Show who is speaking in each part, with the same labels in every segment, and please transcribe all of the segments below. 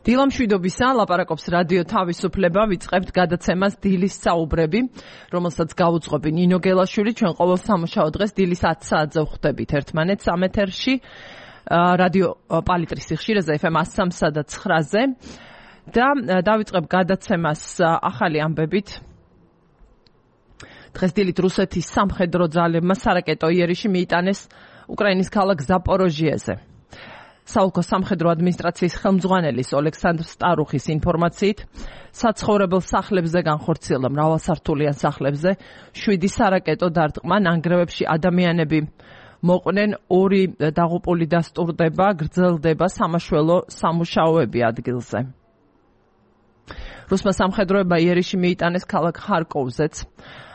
Speaker 1: დილამშვიდობისა, ლაპარაკობს რადიო თავისუფლება, ვიწყებთ გადაცემას დილის საუბრები, რომელსაც გაუძღვები ნინო გელაშვილი, ჩვენ ყოველ სამუშაო დღეს დილის 10 საათზე ვხვდებით ერთმანეთს ამ ეთერში, რადიო პალიტრის სიხშირეზე FM 103-სა და 9-ზე და დავიწყებ გადაცემას ახალი ამბებით. დღეს დილით რუსეთის სამხედრო ძალებმა სარაკეტო იერიში მიიტანეს უკრაინის ქალაქ ზაპოროჟიეზე. საოლქო სამხედრო ადმინისტრაციის ხელმძღვანელის ოლექსანდრ სტარუხის ინფორმაციით, საცხოვრებელ სახლებზე განხორციელდა მრავალსართულიან სახლებზე 7 სარაკეტო დარტყმა, ნანგრევებში ადამიანები მოყვნენ, 2 დაღუპული დასტურდება, გრძელდება სამაშველო სამუშაოები ადგილზე. რუსმა სამხედროებმა იერიში მიიტანეს ქალაქ ხარკოვზეც.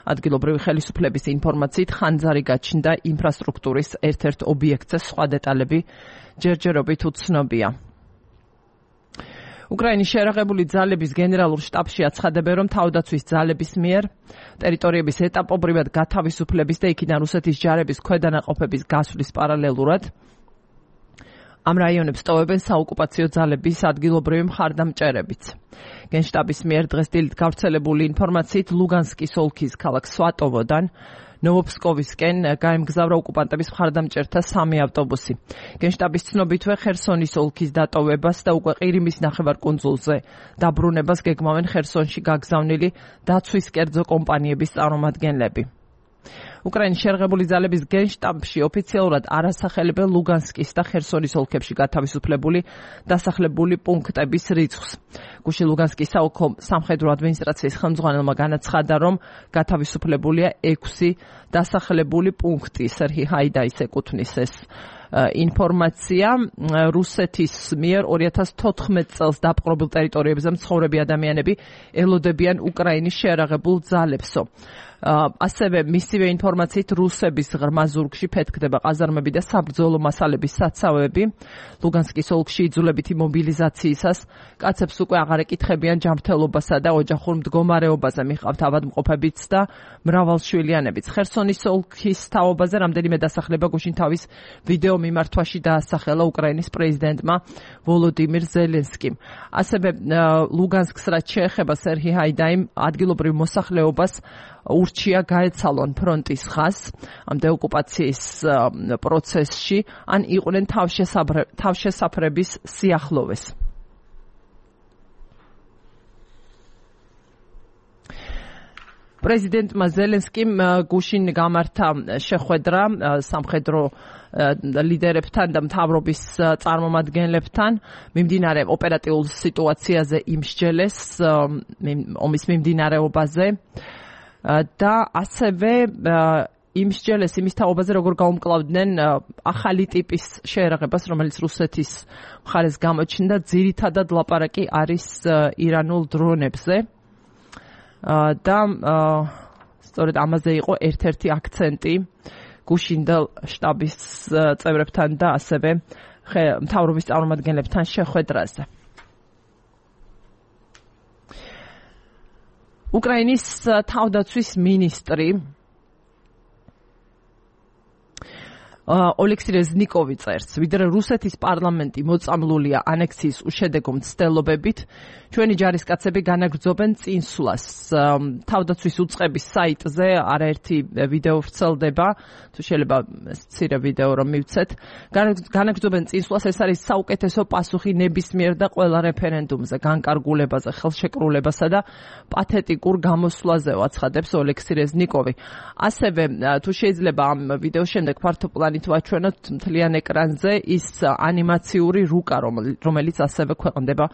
Speaker 1: ადგილობრივი ხელისუფლების ინფორმაციით, ხანძარი გაჩნდა ინფრასტრუქტურის ერთ-ერთ ობიექტზე, სხვა დეტალები ჯერჯერობით უცნობია. უკრაინის შერაღებული ძალების გენერალურ შტაბში აცხადებენ, რომ თავდაცვის ძალების მიერ ტერიტორიების ეტაპობრივად გათავისუფლების და იქიდან რუსეთის ჯარების ქვედანაყოფების გასვლის პარალელურად ამ რაიონებს ტოვებენ საოკუპაციო ძალების ადგილობრივი მხარდამჭერებიც. გენშტაბის მიერ დღეს დილით გავრცელებული ინფორმაციით, ლუგანსკის ოლქის ქალაქ სვატოვოდან ნოვოფსკოვისკენ გაემგზავრა ოკუპანტების მხარდამჭერთა 3 ავტობუსი. გენშტაბის ცნობითვე ხერსონის ოლქის დატოვებას და უკვე ყირიმის ნახევარკუნძულზე დაბრუნებას გეგმავენ ხერსონში გაგზავნილი დაცვის კერძო კომპანიების წარმომადგენლები. უკრაინის შერაღებული ძალების გენშტაბში ოფიციალურად არ ასახელებენ ლუგანსკის და ხერსონის ოლქებში გათავისუფლებული დასახლებული პუნქტების რიცხვს. გუშინ ლუგანსკის საოლქო სამხედრო ადმინისტრაციის ხელმძღვანელმა განაცხადა, რომ გათავისუფლებულია 6 დასახლებული პუნქტი. სერჰი ჰაიდაის ეკუთვნის ეს ინფორმაცია. რუსეთის მიერ 2014 წელს დაპყრობილ ტერიტორიებზე მცხოვრები ადამიანები ელოდებიან უკრაინის შერაღებულ ძალებსო. ასევე მისივე ინფორმაციით რუსების ღრმა ზურგში ფეთქდება ყაზარმები და საბრძოლო მასალების საცავები. ლუგანსკის ოლქში იძულებითი მობილიზაციისას კაცებს უკვე აღარ ეკითხებიან ჯანმრთელობასა და ოჯახურ მდგომარეობაზე, მიჰყავთ ავადმყოფებიც და მრავალშვილიანებიც. ხერსონის ოლქის თაობაზე რამდენიმე დასახლება გუშინ თავის ვიდეო მიმართვაში დაასახელა უკრაინის პრეზიდენტმა ვოლოდიმირ ზელენსკიმ. ასევე ლუგანსკს რაც შეეხება, სერჰი ჰაიდაიმ ადგილობრივ მოსახლეობას ურჩია გაეცალონ ფრონტის ხაზს ამ დეოკუპაციის პროცესში, ან იყვნენ თავშესაფრების სიახლოვეს. პრეზიდენტმა ზელენსკიმ გუშინ გამართა შეხვედრა სამხედრო ლიდერებთან და მთავრობის წარმომადგენლებთან მიმდინარე ოპერატიულ სიტუაციაზე იმსჯელეს ომის მიმდინარეობაზე და ასევე იმსჯელეს იმის თაობაზე, როგორ გაუმკლავდნენ ახალი ტიპის შეერაღებას, რომელიც რუსეთის მხარეს გამოჩნდა. ძირითადად ლაპარაკი არის ირანულ დრონებზე და სწორედ ამაზე იყო ერთ-ერთი აქცენტი გუშინდელ შტაბის წევრებთან და ასევე მთავრობის წარმომადგენლებთან შეხვედრაზე. უკრაინის თავდაცვის მინისტრი ოლექსი რეზნიკოვი წერს, ვიდრე რუსეთის პარლამენტი მოწამლულია ანექსიის უშედეგო მცდელობებით, ჩვენი ჯარისკაცები განაგრძობენ წინსვლას. თავდაცვის უწყების საიტზე არაერთი ვიდეო ვრცელდება, თუ შეიძლება მცირე ვიდეო რომ მივცეთ. განაგრძობენ წინსვლას, ეს არის საუკეთესო პასუხი ნებისმიერ და ყველა რეფერენდუმზე, განკარგულებაზე, ხელშეკრულებასა და პათეტიკურ გამოსვლაზე, აცხადებს ოლექსი რეზნიკოვი. ასევე თუ შეიძლება ამ ვიდეოს შემდეგ ფართო პლანით ვაჩვენოთ მთლიან ეკრანზე ის ანიმაციური რუკა, რომელიც ასევე ქვეყნდება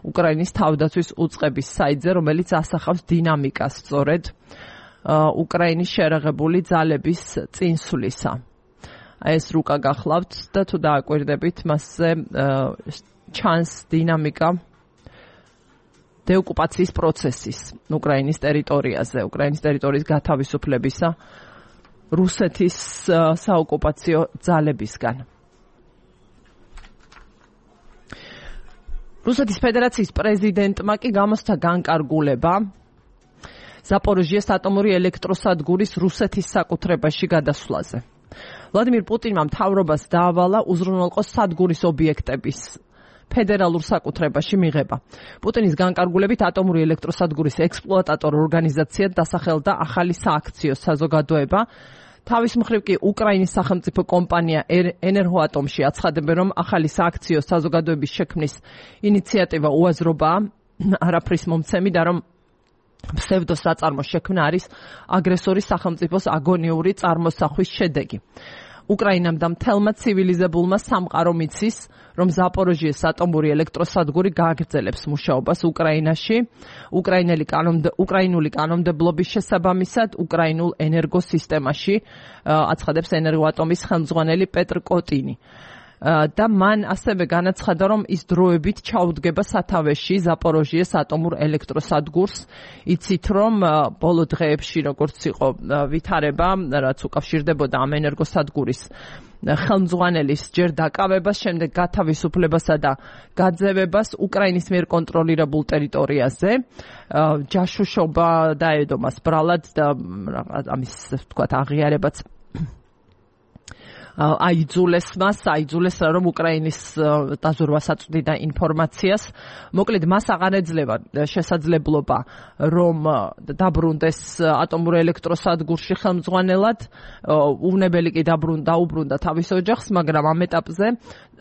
Speaker 1: უკრაინის თავდაცვის უწყების საიტზე, რომელიც ასახავს დინამიკას სწორედ უკრაინის შერაღებული ძალების წინსვლისა. ეს რუკა გახლავთ და თუ დააკვირდებით, მასზე ჩანს დინამიკა დეოკუპაციის პროცესის უკრაინის ტერიტორიაზე, უკრაინის ტერიტორიის გათავისუფლებისა რუსეთის საოკუპაციო ძალებისგან. რუსეთის ფედერაციის პრეზიდენტმა კი გამოსცა განკარგულება ზაპოროჟიეს ატომური ელექტროსადგურის რუსეთის საკუთრებაში გადასვლაზე. ვლადიმირ პუტინმა მთავრობას დაავალა უზრუნველყოს სადგურის ობიექტების ფედერალურ საკუთრებაში მიღება. პუტინის განკარგულებით ატომური ელექტროსადგურის ექსპლუატატორ ორგანიზაციად დასახელდა ახალი სააქციო საზოგადოება. თავის მხრივ კი უკრაინის სახელმწიფო კომპანია ენერგოატომში აცხადებენ, რომ ახალი სააქციო საზოგადოების შექმნის ინიციატივა უაზრობაა, არაფრის მომცემი და რომ ფსევდოსაწარმოს შექმნა არის აგრესორის სახელმწიფოს აგონიური წარმოსახვის შედეგი. უკრაინამ და მთელმა ცივილიზებულმა სამყარომ იცის, რომ ზაპოროჟიეს ატომური ელექტროსადგური გააგრძელებს მუშაობას უკრაინაში, უკრაინული კანონმდებლობის შესაბამისად უკრაინულ ენერგოსისტემაში, აცხადებს ენერგოატომის ხელმძღვანელი პეტრ კოტინი. და მან ასევე განაცხადა, რომ ის დროებით ჩაუდგება სათავეში ზაპოროჟიეს ატომურ ელექტროსადგურს. იცით, რომ ბოლო დღეებში როგორც იყო ვითარება, რაც უკავშირდებოდა ამ ენერგოსადგურის ხელმძღვანელის ჯერ დაკავებას, შემდეგ გათავისუფლებასა და გაძევებას უკრაინის მიერ კონტროლირებულ ტერიტორიაზე. ჯაშუშობა დაედო მას ბრალად და ამის თქვათ აღიარებაც აიძულეს, რომ უკრაინის დაზურვას აწვდიდა ინფორმაციას. მოკლედ, მას აღარ ეძლევა შესაძლებლობა, რომ დაბრუნდეს ატომურ ელექტროსადგურში ხელმძღვანელად. უვნებელი კი დაუბრუნდა თავის ოჯახს, მაგრამ ამ ეტაპზე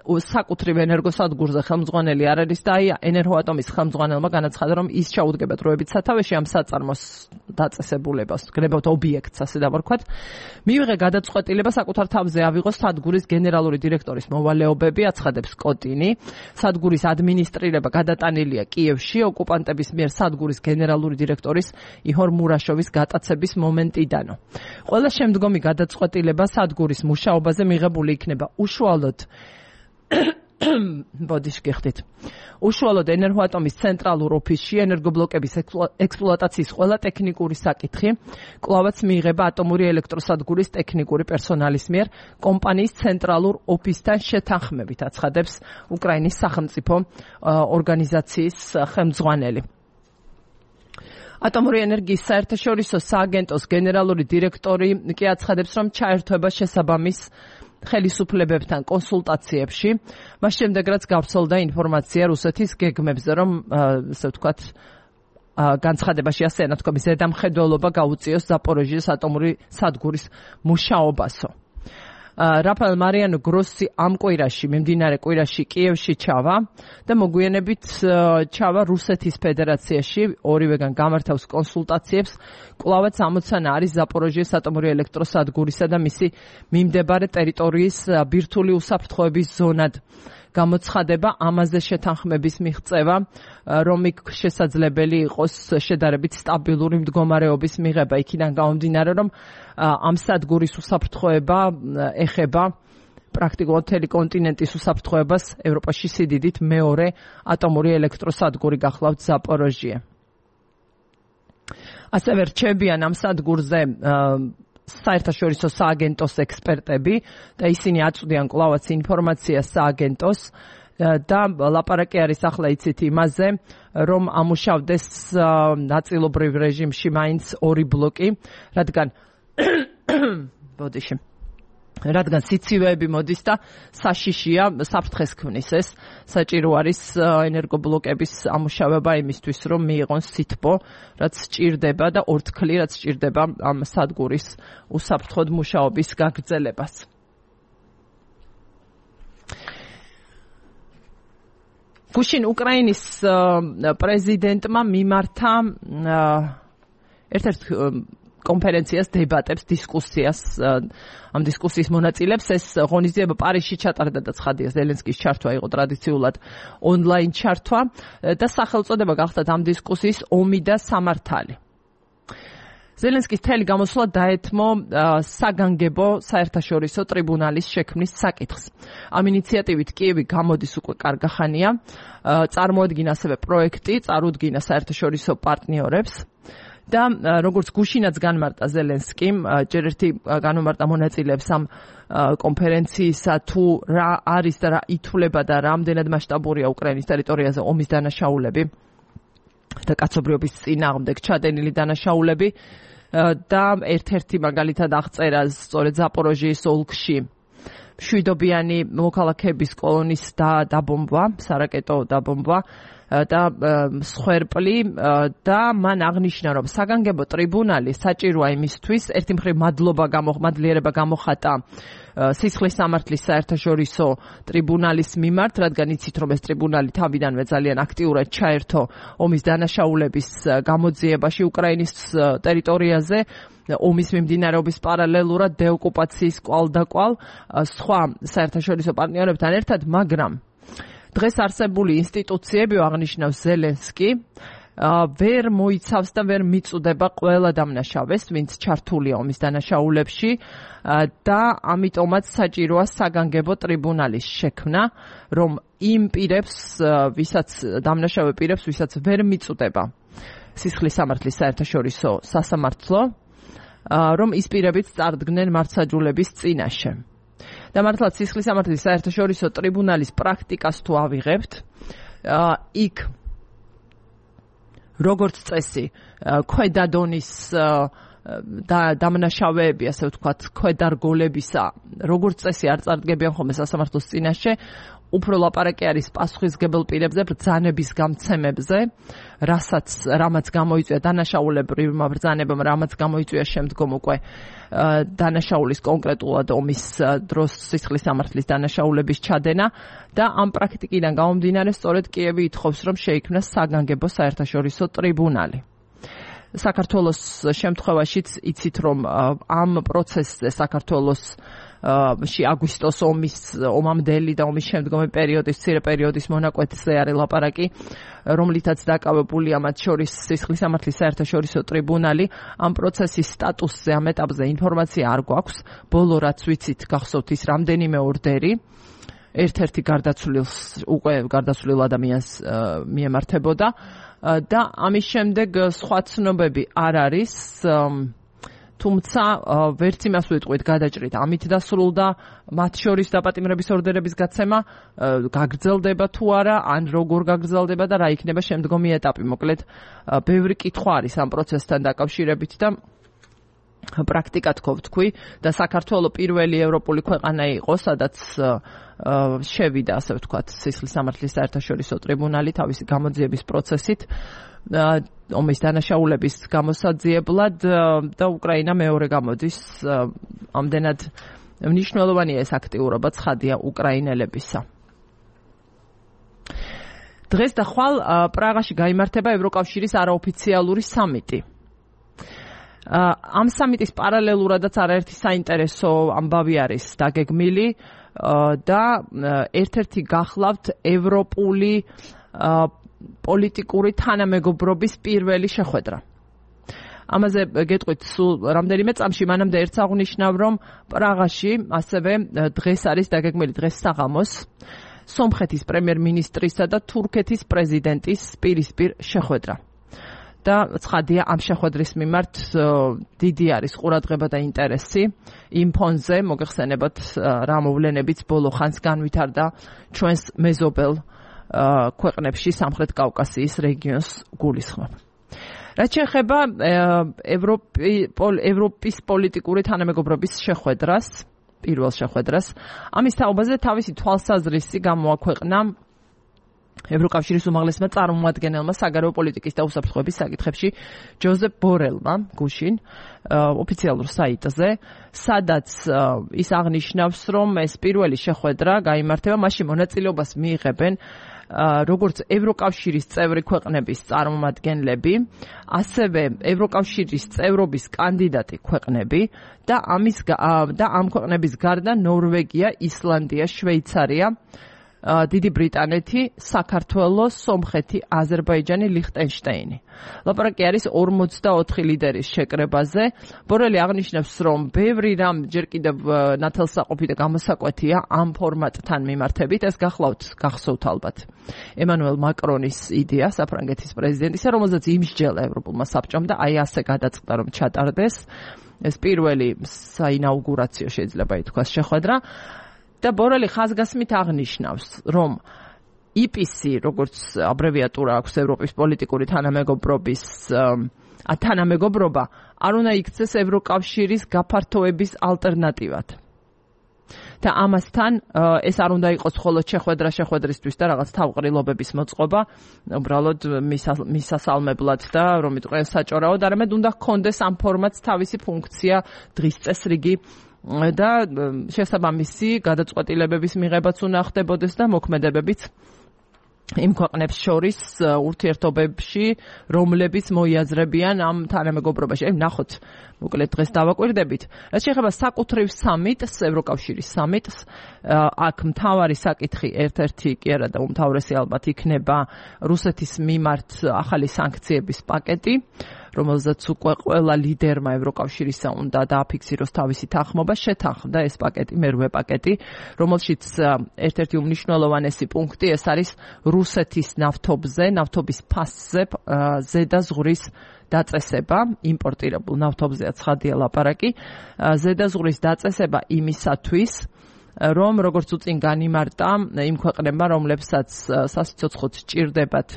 Speaker 1: საკუთრივ ენერგოსადგურზე ხელმძღვანელი არ არის და ენერგოატომის ხელმძღვანელმა განაცხადა, რომ ის ჩაუდგება დროებით სათავეში ამ საწარმოს დაწესებულებას, გნებავთ ობიექტს, ასე დავარქვათ. მივიღე გადაწყვეტილება საკუთარ თავზე ავიღოს სადგურის გენერალური დირექტორის მოვალეობები, აცხადებს კოტინი. სადგურის ადმინისტრირება გადატანილია კიევში ოკუპანტების მიერ სადგურის გენერალური დირექტორის იჰორ მურაშოვის გატაცების მომენტიდანო. ყველა შემდგომი გადაწყვეტილება სადგურის მუშაობაზე მიღებული იქნება უშუალოდ უშუალოდ ენერგოატომის ცენტრალურ ოფისში ენერგობლოკების ექსპლუატაციის ყველა ტექნიკური საკითხი კვლავაც მიიღება ატომური ელექტროსადგურის ტექნიკური პერსონალის მიერ კომპანიის ცენტრალურ ოფისთან შეთანხმებით, აცხადებს უკრაინის სახელმწიფო ორგანიზაციის ხელმძღვანელი. ატომური ენერგიის საერთაშორისო სააგენტოს გენერალური დირექტორი კი აცხადებს, რომ ჩაერთვება შესაბამის ხელისუფლებებთან კონსულტაციებში, მას შემდეგ რაც გავრცელდა ინფორმაცია რუსეთის გეგმებზე, რომ ასე ვთქვათ, განცხადებაში ასე ნათქვამი ზედამხედველობა გაუწიოს ზაპოროჟიეს ატომური სადგურის მუშაობასო. რაფაელ მარიანო გროსი ამ კვირაში, მიმდინარე კვირაში კიევში ჩავა და მოგვიანებით ჩავა რუსეთის ფედერაციაში, ორივეგან გამართავს კონსულტაციებს. კვლავაც ამოცანა არის ზაპოროჟიეს ატომური ელექტროსადგურისა და მისი მიმდებარე ტერიტორიის ბირთვული უსაფრთხოების ზონად გამოცხადება, ამაზე შეთანხმების მიღწევა, რომ იქ შესაძლებელი იყოს შედარებით სტაბილური მდგომარეობის მიღება. იქიდან გამომდინარე, რომ ამ სადგურის უსაფრთხოება ეხება პრაქტიკულად მთელი კონტინენტის უსაფრთხოებას, ევროპაში სიდიდით მეორე ატომური ელექტროსადგური გახლავთ ზაპოროჟიე. ასევე რჩებიან ამ სადგურზე საერთაშორისო სააგენტოს ექსპერტები და ისინი აწვდიან კვლავაც ინფორმაციას სააგენტოს და ლაპარაკი არის ახლა იცით იმაზე, რომ ამუშავდეს ნაწილობრივ რეჟიმში მაინც ორი ბლოკი, რადგან სიცივეები მოდის და საშიშია საფრთხეს ქმნის ეს. საჭირო არის ენერგობლოკების ამუშავება იმისთვის, რომ მიიღონ სითბო, რაც სჭირდება და ორთქლი, რაც სჭირდება ამ სადგურის უსაფრთხოდ მუშაობის გაგრძელებას. გუშინ უკრაინის პრეზიდენტმა მიმართა ერთ-ერთ კონფერენციას, დებატებს, დისკუსიას, ამ დისკუსიის მონაწილეებს ეს ღონისძიება პარიზში ჩატარდა და ცხადია ზელენსკის ჩართვა იყო ტრადიციულად ონლაინ ჩართვა და სახელწოდება გახდათ ამ დისკუსიის ომი და სამართალი. ზელენსკის მთელი გამოსვლა დაეთმო საგანგებო საერთაშორისო ტრიბუნალის შექმნის საკითხს. ამ ინიციატივით კიევი გამოდის უკვე კარგახანია, წარმოადგინა ასევე პროექტი, წარუდგინა საერთაშორისო პარტნიორებს. და როგორც გუშინაც განმარტა ზელენსკიმ, ჯერ ერთი განმარტა მონაწილეებს ამ კონფერენციისა თუ რა არის და რა ითვლება და რამდენად მასშტაბურია უკრაინის ტერიტორიაზე ომის დანაშაულები და კაცობრიობის წინააღმდეგ ჩადენილი დანაშაულები და ერთ-ერთი მაგალითად აღწერა სწორედ ზაპოროჟიის ოლქში მშვიდობიანი მოქალაქეების კოლონის დაბომბვა, სარაკეტო დაბომბვა და მსხვერპლი და მან აღნიშნა, რომ საგანგებო ტრიბუნალი საჭიროა იმისთვის, ერთი მხრივ მადლიერება გამოხატა სისხლის სამართლის საერთაშორისო ტრიბუნალის მიმართ, რადგან იცით, რომ ეს ტრიბუნალი თავიდანვე ძალიან აქტიურად ჩაერთო ომის დანაშაულების გამოძიებაში უკრაინის ტერიტორიაზე, ომის მიმდინარეობის პარალელურად დეოკუპაციის კვალდაკვალ სხვა საერთაშორისო პარტნიორებთან ერთად, მაგრამ დღეს არსებული ინსტიტუციები, აღნიშნავს ზელენსკი, ვერ მოიცავს და ვერ მიწუდება ყველა დამნაშავეს, ვინც ჩართულია ომის დანაშაულებში და ამიტომაც საჭიროა საგანგებო ტრიბუნალის შექმნა, რომ იმ პირებს, დამნაშავე პირებს, ვისაც ვერ მიწუდება სისხლის სამართლის საერთაშორისო სასამართლო, რომ ის პირებიც წარდგნენ მართლმსაჯულების წინაშე. და მართლაც სისხლის სამართლის საერთაშორისო ტრიბუნალის პრაქტიკას თუ ავიღებთ, იქ როგორც წესი, ქვედა დონის დამნაშავეები, ასე ვთქვათ, ქვედარგოლებისა, როგორც წესი არ წარდგებიან ხოლმე სასამართლოს წინაშე, უფრო ლაპარაკი არის პასუხისმგებელ პირებზე, ბრძანების გამცემებზე, რამაც გამოიწვია დანაშაულებრივმა ბრძანებამ, რამაც გამოიწვია შემდგომ უკვე დანაშაულის კონკრეტულად ომის დროს სისხლის სამართლის დანაშაულების ჩადენა და ამ პრაქტიკიდან გამომდინარე სწორედ კიევი ითხოვს, რომ შეიქმნას საგანგებო საერთაშორისო ტრიბუნალი. საქართველოს შემთხვევაშიც იცით, რომ ამ პროცესზე საქართველოს აგვისტოს ომამდელი და ომის შემდგომი პერიოდის, მცირე პერიოდის მონაკვეთზე არის ლაპარაკი, რომლითაც დაკავებულია მათ შორის სისხლის სამართლის საერთაშორისო ტრიბუნალი. ამ პროცესის სტატუსზე, ამ ეტაპზე ინფორმაცია არ გვაქვს. ბოლო რაც ვიცით, გახსოვთ ის რამდენიმე ორდერი ერთ-ერთი გარდაცვლილ ადამიანს მიემართებოდა და ამის შემდეგ სხვა ცნობები არ არის. თუმცა ვერც იმას ვიტყვით გადაჭრით, ამით დასრულდა მათ შორის დაპატიმრების ორდერების გაცემა, გაგრძელდება თუ არა, ან როგორ გაგრძელდება და რა იქნება შემდგომი ეტაპი. მოკლედ, ბევრი კითხვა არის ამ პროცესთან დაკავშირებით და პრაქტიკა თქვი და საქართველოს პირველი ევროპული ქვეყანა იყო, სადაც შევიდა, ასე ვთქვათ, სისხლის სამართლის საერთაშორისო ტრიბუნალი თავისი გამოძიების პროცესით ომის დანაშაულების გამოსაძიებლად და უკრაინა მეორე გამოდის. ამდენად მნიშვნელოვანია ეს აქტიურობა, ცხადია უკრაინელებისა. დღეს და ხვალ პრაღაში გაიმართება ევროკავშირის არაოფიციალური სამიტი. ამ სამიტის პარალელურადაც არაერთი საინტერესო ამბავი არის დაგეგმილი და ერთ-ერთი გახლავთ ევროპული პოლიტიკური თანამეგობრობის პირველი შეხვედრა. ამაზე გეტყვით სულ რამდენიმე წამში, მანამდე ერთს აღნიშნავ, რომ პრაღაში ასევე დღეს არის დაგეგმილი, დღეს საღამოს სომხეთის პრემიერ-მინისტრისა და თურქეთის პრეზიდენტის პირისპირ შეხვედრა. და ცხადია, ამ შეხვედრის მიმართ დიდი არის ყურადღება და ინტერესი იმ ფონზე, მოგეხსენებათ რა მოვლენებიც ბოლო ხანს განვითარდა ჩვენს მეზობელ ქვეყნებში სამხრეთ კავკასიის რეგიონს გულისხმობ. რაც შეეხება ევროპის პოლიტიკური თანამეგობრობის შეხვედრას, პირველ შეხვედრას, ამის თაობაზე თავისი თვალსაზრისი გამოაქვეყნა ევროკავშირის უმაღლესმა წარმომადგენელმა საგარეო პოლიტიკის და უსაფრთხოების საკითხებში ჯოზეფ ბორელმა გუშინ ოფიციალურ საიტზე, სადაც ის აღნიშნავს, რომ ეს პირველი შეხვედრა გაიმართება, მასში მონაწილეობას მიიღებენ როგორც ევროკავშირის წევრი ქვეყნების წარმომადგენლები, ასევე ევროკავშირის წევრობის კანდიდატი ქვეყნები და ამ ქვეყნების გარდა ნორვეგია, ისლანდია, შვეიცარია, დიდი ბრიტანეთი, საქართველო, სომხეთი, აზერბაიჯანი, ლიხტენშტეინი. ლაპარაკი არის 44 ლიდერის შეკრებაზე. ბორელი აღნიშნავს, რომ ბევრი რამ ჯერ კიდევ ნათელსაყოფი და გამოსაკვეთია ამ ფორმატთან მიმართებით. ეს გახსოვთ ალბათ ემანუელ მაკრონის იდეა, საფრანგეთის პრეზიდენტისა, რომელზეც იმსჯელა ევროპულმა საბჭომ და აი ასე გადაწყდა, რომ ჩატარდეს ეს პირველი საინაუგურაციო შეიძლება ითქვას შეხვედრა. და ბორელი ხაზგასმით აღნიშნავს, რომ EPC, როგორც აბრევიატურა აქვს ევროპის პოლიტიკური თანამეგობრობა, არ უნდა იქცეს ევროკავშირის გაფართოების ალტერნატივად. და ამასთან ეს არ უნდა იყოს მხოლოდ შეხვედრისთვის და რაღაც თავყრილობების მოწყობა, უბრალოდ მისასალმებლად და რომ იტყვიან საჭორაოდ, არამედ უნდა ჰქონდეს ამ ფორმატს თავისი ფუნქცია, დღის წესრიგი და შესაბამისი გადაწყვეტილებების მიღებაც უნდა ხდებოდეს და მოქმედებებიც იმ ქვეყნებს შორის ურთიერთობებში, რომლებიც მოიაზრებიან ამ თანამეგობრობაში. ნახოთ, მოკლედ დღეს დავაკვირდებით. რაც შეეხება საკუთრივ სამიტს, ევროკავშირის სამიტს, აქ მთავარი საკითხი ერთ-ერთი კი არა და უმთავრესი ალბათ იქნება რუსეთის მიმართ ახალი სანქციების პაკეტი, რომელზეც უკვე ყველა ლიდერმა ევროკავშირისა უნდა დააფიქსიროს თავისი თანხმობა, შეთანხმდა ეს პაკეტი, მერვე პაკეტი, რომელშიც ერთ-ერთი უმნიშვნელოვანესი პუნქტი ეს არის რუსეთის ნავთობის ფასზე ზედაზღვრის დაწესება, იმპორტირებულ ნავთობზეა ცხადია ლაპარაკი, ზედაზღვრის დაწესება იმისათვის, რომ როგორც უწინ განიმარტა იმ ქვეყნებმა, რომლებსაც სასიცოცხლოდ სჭირდებათ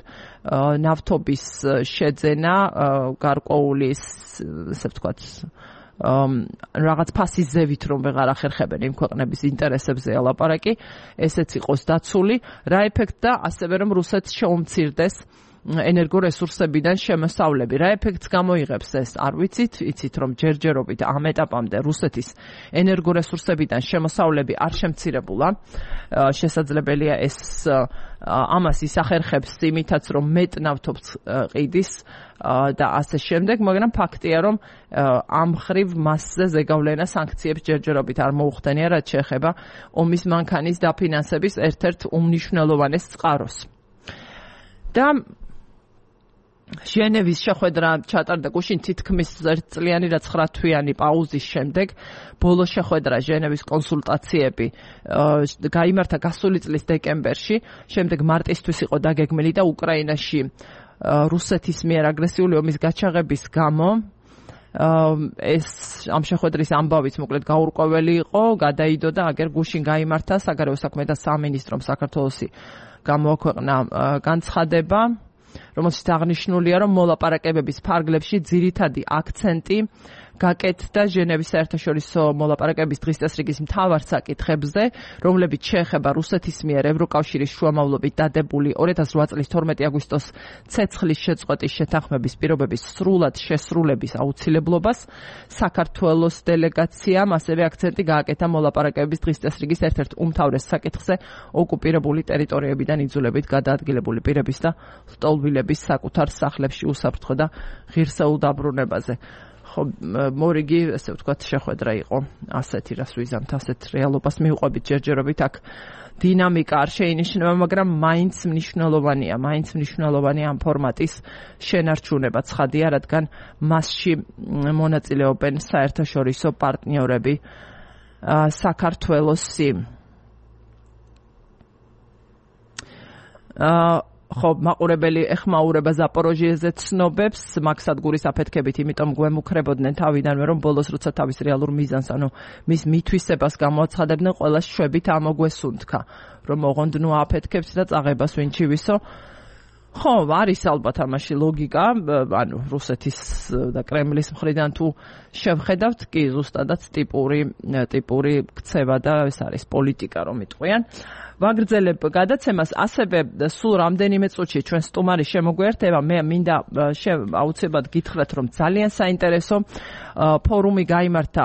Speaker 1: ნავთობის შეძენა, გარკვეული, ესე ვთქვათ, რაღაც ფასის ზევით რომ ვეღარ ახერხებენ იმ ქვეყნების ინტერესებზეა ლაპარაკი, ესეც იყოს დაცული, რა ეფექტდა, ასევე რომ რუსეთს შეუმცირდეს ენერგორესურსებიდან შემოსავლები. რა ეფექტს გამოიღებს ეს? არ ვიცით, იცით რომ ჯერჯერობით ამ ეტაპამდე რუსეთის ენერგორესურსებიდან შემოსავლები არ შემცირებულა. შესაძლებელია ეს ამას ისახერხებს იმითაც რომ მეტ ნავთობს ყიდის და ასე შემდეგ, მაგრამ ფაქტია რომ ამ ხრივ მასზე ზეგავლენა სანქციებს ჯერჯერობით არ მოუხდენია, რაც შეეხება ომის მანქანის დაფინანსების ერთ-ერთ უმნიშვნელოვანეს წყაროს. და ჟენევის შეხვედრა ჩატარდა გუშინ თითქმის ერთწლიანი და 9 თვიანი პაუზის შემდეგ. ბოლო შეხვედრა ჟენევის კონსულტაციები გაიმართა გასული წლის დეკემბერში, შემდეგ მარტისთვის იყო დაგეგმილი და უკრაინაში რუსეთის მიერ აგრესიული ომის გაჩაღების გამო ეს ამ შეხვედრის ამბავიც მოკლედ გაურკვეველი იყო, გადაიდო და აგერ გუშინ გაიმართა საგარეო საქმეთა სამინისტრომ საქართველოსი გამოაქვეყნა განცხადება, რომელშიც აღნიშნულია, რომ მოლაპარაკებების ფარგლებში ძირითადი აქცენტი გაკეთდა ჟენევის საერთაშორისო მოლაპარაკებების დღის წესრიგის მთავარ საკითხებზე, რომლებიც შეეხება რუსეთის მიერ ევროკავშირის შუამავლობით დადებული 2008 წლის 12 აგვისტოს ცეცხლის შეწყვეტის შეთანხმების პირობების სრულად შესრულების აუცილებლობას. საქართველოს დელეგაციამ ასევე აქცენტი გააკეთა მოლაპარაკებების დღის წესრიგის ერთ-ერთ უმთავრეს საკითხზე, ოკუპირებული ტერიტორიებიდან იძულებით გადაადგილებული პირების და ლტოლვილების საკუთარ სახლებში უსაფრთხო და ღირსეულ დაბრუნებაზე. მორიგი, ესე ვთქვათ, შეხვედრა იყო ასეთი, რას ვიზამთ, ასეთ რეალობას მივყვებით ჯერჯერობით აქ დინამიკა არ შეინიშნება, მაგრამ მაინც მნიშვნელოვანია ამ ფორმატის შენარჩუნება, ცხადია, რადგან მასში მონაწილეობენ საერთაშორისო პარტნიორები საქართველოსი. ხო, მაყურებელი ეხმაურება ზაპოროჟიეზე ცნობებს, მაგ სადგურის აფეთქებით, იმიტომ გვემუქრებოდნენ თავიდანვე, რომ ბოლოს როცა თავის რეალურ მიზანს, ანუ მის მითვისებას გამოაცხადებდნენ, ყველა შვებით ამოგვესუნთქა, რომ ოღონდ აფეთქებს და წაღებას ვინ ჩივისო. ხო, არის ალბათ ამაში ლოგიკა, ანუ რუსეთის და კრემლის მხრიდან თუ შევხედავთ, კი ზუსტადაც ტიპური ქცევა და ეს არის პოლიტიკა, რომ იტყვიან. ვაგრძელებ გადაცემას, ასევე სულ რამდენიმე წუთში ჩვენ სტუმარი შემოგვერთება, მე მინდა აუცილებლად გითხრათ, რომ ძალიან საინტერესო ფორუმი გაიმართა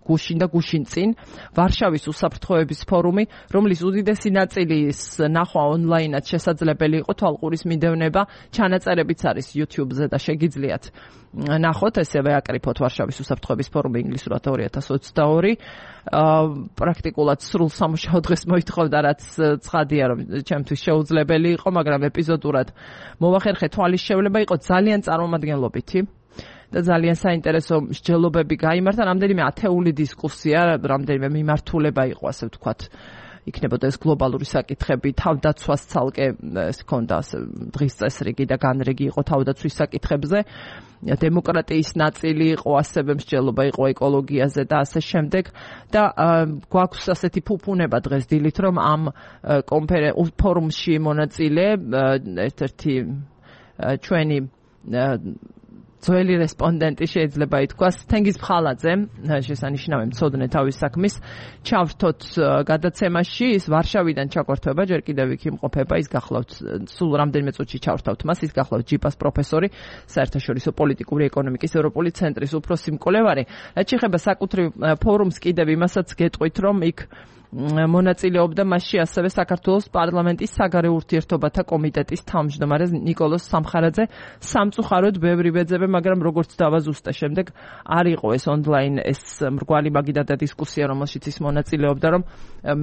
Speaker 1: გუშინ და გუშინ წინ, ვარშავის უსაფრთხოების ფორუმი, რომლის უდიდესი ნაწილის ნახვა ონლაინად შესაძლებელი იყო, თვალყურის მიდევნება, ჩანაწერებიც არის YouTube-ზე და შეგიძლიათ ნახოთ, ესევე აკრიფოთ ვარშავის უსაფრთხოების ფორუმი ინგლისურად 2022. პრაქტიკულად სრულ სამუშაო დღეს მოითხოვდა, რაც ცხადია, რომ ჩემთვის შეუძლებელი იყო, მაგრამ ეპიზოდურად მოვახერხე თვალის შევლება, იყო ძალიან წარმომადგენლობითი. და ძალიან საინტერესო მსჯელობები გაიმართა, რამდენიმე ათეული დისკუსია, რამდენიმე მიმართულება იყო, ასე ვთქვათ, იქნებოდა ეს გლობალური საკითხები, თავდაცვას ცალკე ეს ჰქონდა დღის წესრიგი და განრიგი იყო თავდაცვის საკითხებზე, დემოკრატიის ნაწილი იყო, ასევე მსჯელობა იყო ეკოლოგიაზე და ასე შემდეგ და გვაქვს ასეთი ფუფუნება დღეს დილით, რომ ამ ფორუმში მონაწილე ერთ-ერთი ჩვენი ძველი რესპონდენტი შეიძლება ითქვას თენგიზ ფხალაძე შესანიშნავი მცოდნე თავის საქმის ჩავრთოთ გადაცემაში ის ვარშავიდან ჩაგვართვება ჯერ კიდევ იქ იმყოფება ის გახლავთ სულ რამდენიმე წუთში ჩავრთავთ მას ის გახლავთ ჯიპას პროფესორი საერთაშორისო პოლიტიკური ეკონომიკის ევროპული ცენტრის უფროსი მკვლევარი რაც შეეხება საკუთრივ ფორუმს კიდევ იმასაც გეტყვით რომ იქ მონაწილეობდა მასში ასევე საქართველოს პარლამენტის საგარეო ურთიერთობათა კომიტეტის თავმჯდომარე ნიკოლოზ სამხარაძე სამწუხაროდ ბევრი ვეძებე მაგრამ როგორც დავაზუსტე შემდეგ არ იყო ეს ონლაინ ეს მრგვალი მაგიდა და დისკუსია რომელშიც ის მონაწილეობდა რომ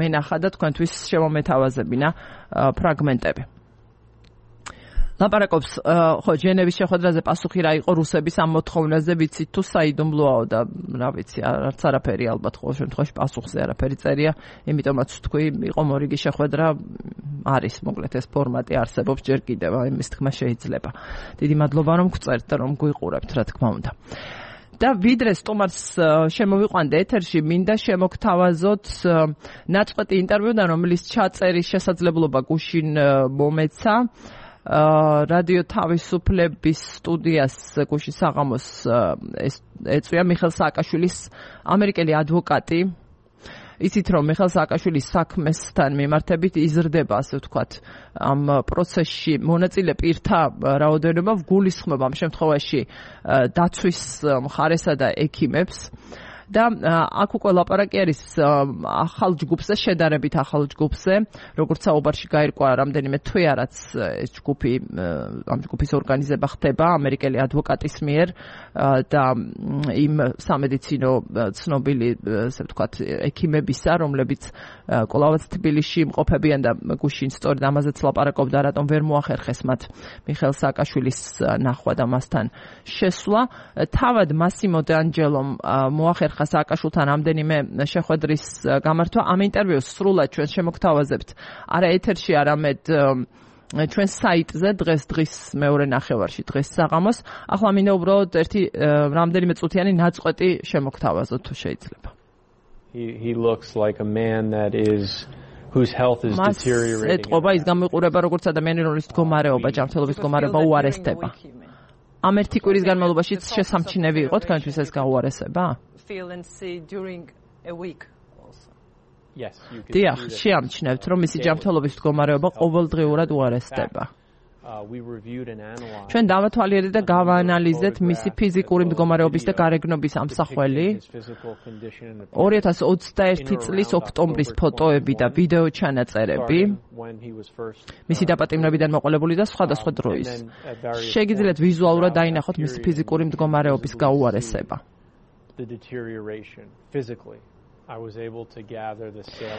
Speaker 1: მე ნახა და თქვენთვის შევამეთავაზებინა ფრაგმენტები ლაპარაკობს ხო ჟენევის შეხვედრაზე პასუხი რა იყო რუსების ამ მოთხოვნაზე ვიცით თუ საიდუმლოა და რა ვიცი არც არაფერი ალბათ ყოველ შემთხვევაში პასუხზე არაფერი წერია იმიტომაც თქვი იყო მორიგი შეხვედრა არის მოკლედ ეს ფორმატი არსებობს ჯერ კიდევ იმის თქმა შეიძლება დიდი მადლობა რომ გწერთ და რომ გვიყურებთ რა თქმა უნდა და ვიდრე სტუმარს შემოვიყვანდა ეთერში მინდა შემოგთავაზოთ ნაწყვეტი ინტერვიუდან რომლის ჩაწერის შესაძლებლობა გუშინ მომეცა რადიო თავისუფლების სტუდიას გუშინ საღამოს ეწვია მიხელ სააკაშვილის ამერიკელი ადვოკატი იცით რომ მიხელ სააკაშვილის საქმესთან მიმართებით იზრდება ასე ვთქვათ ამ პროცესში მონაწილე პირთა რაოდენობა გულისხმობა ამ შემთხვევაში დაცვის მხარესა და ექიმებს და აქ უკვე ლაპარაკი არის ახალ ჯგუფზე შედარებით ახალ ჯგუფზე როგორც საუბარში გაირკვა რამდენიმე თვეა რაც ეს ჯგუფი ამ ჯგუფის ორგანიზება ხდება ამერიკელი ადვოკატის მიერ და იმ სამედიცინო ცნობილი ასე ვთქვათ ექიმებისა რომლებიც კვლავაც თბილისში იმყოფებიან და გუშინ სწორედ ამაზეც ლაპარაკობდა რატომ ვერ მოახერხეს მათ მიხელ სააკაშვილის ნახვა და მასთან შესვლა თავად მასიმო დანჯელომ მოახერხა სააკაშვილთან რამდენიმე შეხვედრის გამართვა ამ ინტერვიუს სრულად ჩვენ შემოგთავაზებთ არა ეთერში არამედ ჩვენ საიტზე დღის მეორე ნახევარში დღეს საღამოს ახლა მინდა უბრალოდ ერთი რამდენიმე წუთიანი ნაწყვეტი შემოგთავაზოთ თუ შეიძლება
Speaker 2: He looks like a man that is whose health is deteriorating.
Speaker 1: ეთყობა ის გამიყურება როგორც ადამიანი რომლის მდგომარეობა ჯანმრთელობის მდგომარეობა უარესდება. ამ ერთი კვირის განმავლობაში შესამჩნევი იყო თქვენთვის ეს გაუარესება? დიახ, შეამჩნევთ რომ მისი ჯანმრთელობის მდგომარეობა ყოველდღიურად უარესდება. ჩვენ დავათვალიერეთ და გავაანალიზეთ მისი ფიზიკური მდგომარეობის და გარეგნობის ამსახველი 2021 წლის ოქტომბრის ფოტოები და ვიდეო ჩანაწერები მისი დაპატიმრებიდან მოყოლებული და სხვადასხვა დროის შეგიძლიათ ვიზუალურად დაინახოთ მისი ფიზიკური მდგომარეობის გაუარესება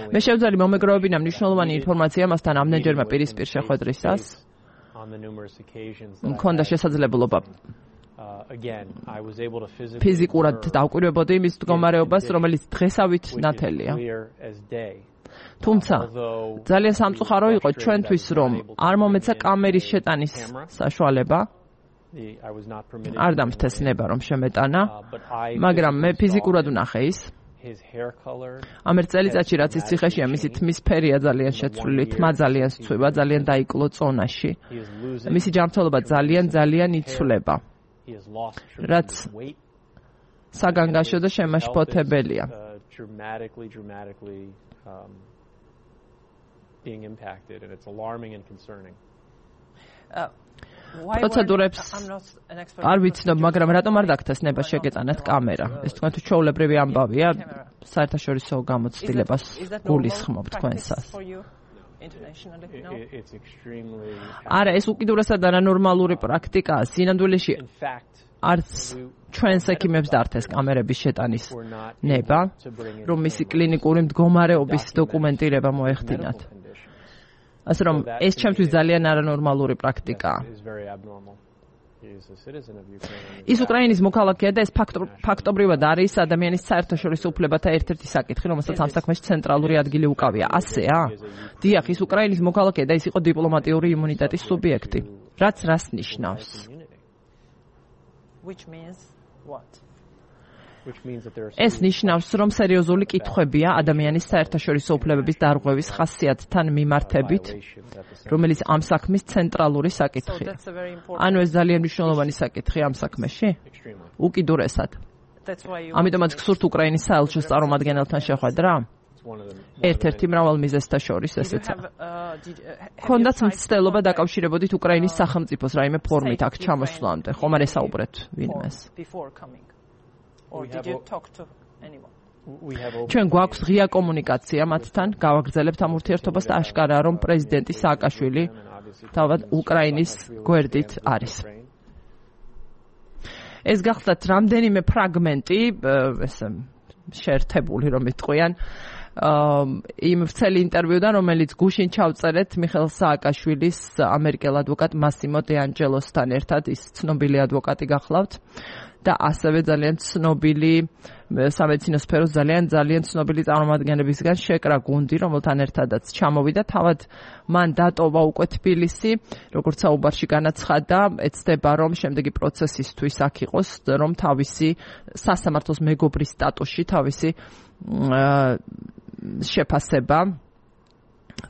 Speaker 1: მე შევძალი მომეგროვებინა მნიშვნელოვანი ინფორმაცია მასთან ამდენჯერმე პირისპირ შეხვედრისას მქონდა შესაძლებლობა ფიზიკურად დავკვირვებოდი იმის მდგომარეობას, რომელიც დღესავით ნათელია. თუმცა ძალიან სამწუხარო იყო ჩვენთვის, რომ არ მომეცა კამერის შეტანის საშუალება. არ დამთესნება რომ შემეტანა, მაგრამ მე ფიზიკურად ვნახე ის. ამ წელიწადში რაც ის ციხეშია მისი თმის ფერია ძალიან შეცვლილი, თმა ძალიან სცვივა, ძალიან დაიკლო წონაში. მისი ჯანმრთელობა ძალიან იცვლება. რაც საგანგაშო და შემაშფოთებელია. პროცედურებს არ ვიცნობ, მაგრამ რატომ არ დაგთესნება შეგეწანათ კამერა? ეს თქვენ თუ ჩვეულებრივი ამბავია, საერთაშორისო გამოცდილებას გულისხმობ თქვენსას. არა, ეს უკიდურესად არანორმალური პრაქტიკაა. სინამდვილეში არც ჩვენს ექიმებს დართეს კამერების შეტანის ნება, რომ მისი კლინიკური მდგომარეობის დოკუმენტირება მოეხდინათ. ასე რომ ეს ჩემთვის ძალიან არანორმალური პრაქტიკაა. ის უკრაინის მოქალაქეა და ეს ფაქტობრივად არის ადამიანის საერთაშორისო უფლებათა ერთ-ერთი საკითხი, რომელსაც ამ საქმეში ცენტრალური ადგილი უკავია. ასეა? დიახ, ის უკრაინის მოქალაქეა და ის იყო დიპლომატიური იმუნიტეტის სუბიექტი. რაც რას ნიშნავს? ეს ნიშნავს, რომ სერიოზული კითხვებია ადამიანის საერთაშორისო უფლებების დარღვევის ხასიათთან მიმართებით, რომელიც ამ საქმის ცენტრალური საკითხია. ანუ ეს ძალიან მნიშვნელოვანი საკითხია ამ საქმეში? უკიდურესად. ამიტომაც გსურთ უკრაინის საელჩოს წარმომადგენელთან შეხვედრა? ერთ-ერთი მრავალ მიზეზთა შორის ესეც. ქონდათ მცდელობა დაკავშირებოდით უკრაინის სახელმწიფოს რაიმე ფორმით აქ ჩამოსვლამდე, ხომ არ ესაუბრეთ ვინმეს? ჩვენ გვაქვს ღია კომუნიკაცია მათთან, გავაგრძელებთ ამ ურთიერთობას და აშკარაა, რომ პრეზიდენტი სააკაშვილი თავად უკრაინის გვერდით არის. ეს გახლდათ რამდენიმე ფრაგმენტი, ესე შეერთებული რომ იტყვიან, იმ ვრცელი ინტერვიუდან, რომელიც გუშინ ჩავწერეთ მიხეილ სააკაშვილის ამერიკელ ადვოკატ მასიმო დე ანჯელოსთან ერთად, ის ცნობილი ადვოკატი გახლავთ და ასევე ძალიან ცნობილი სამედიცინო სფეროს ძალიან ცნობილი წარმომადგენლებისგან შეკრა გუნდი, რომელთან ერთადაც ჩამოვიდა. თავად მან დატოვა უკვე თბილისი, როგორც საუბარში განაცხადა, ეცდება რომ შემდეგი პროცესისთვის აქ იყოს, რომ თავისი სასამართლოს მეგობრის სტატუსში თავისი შეფასება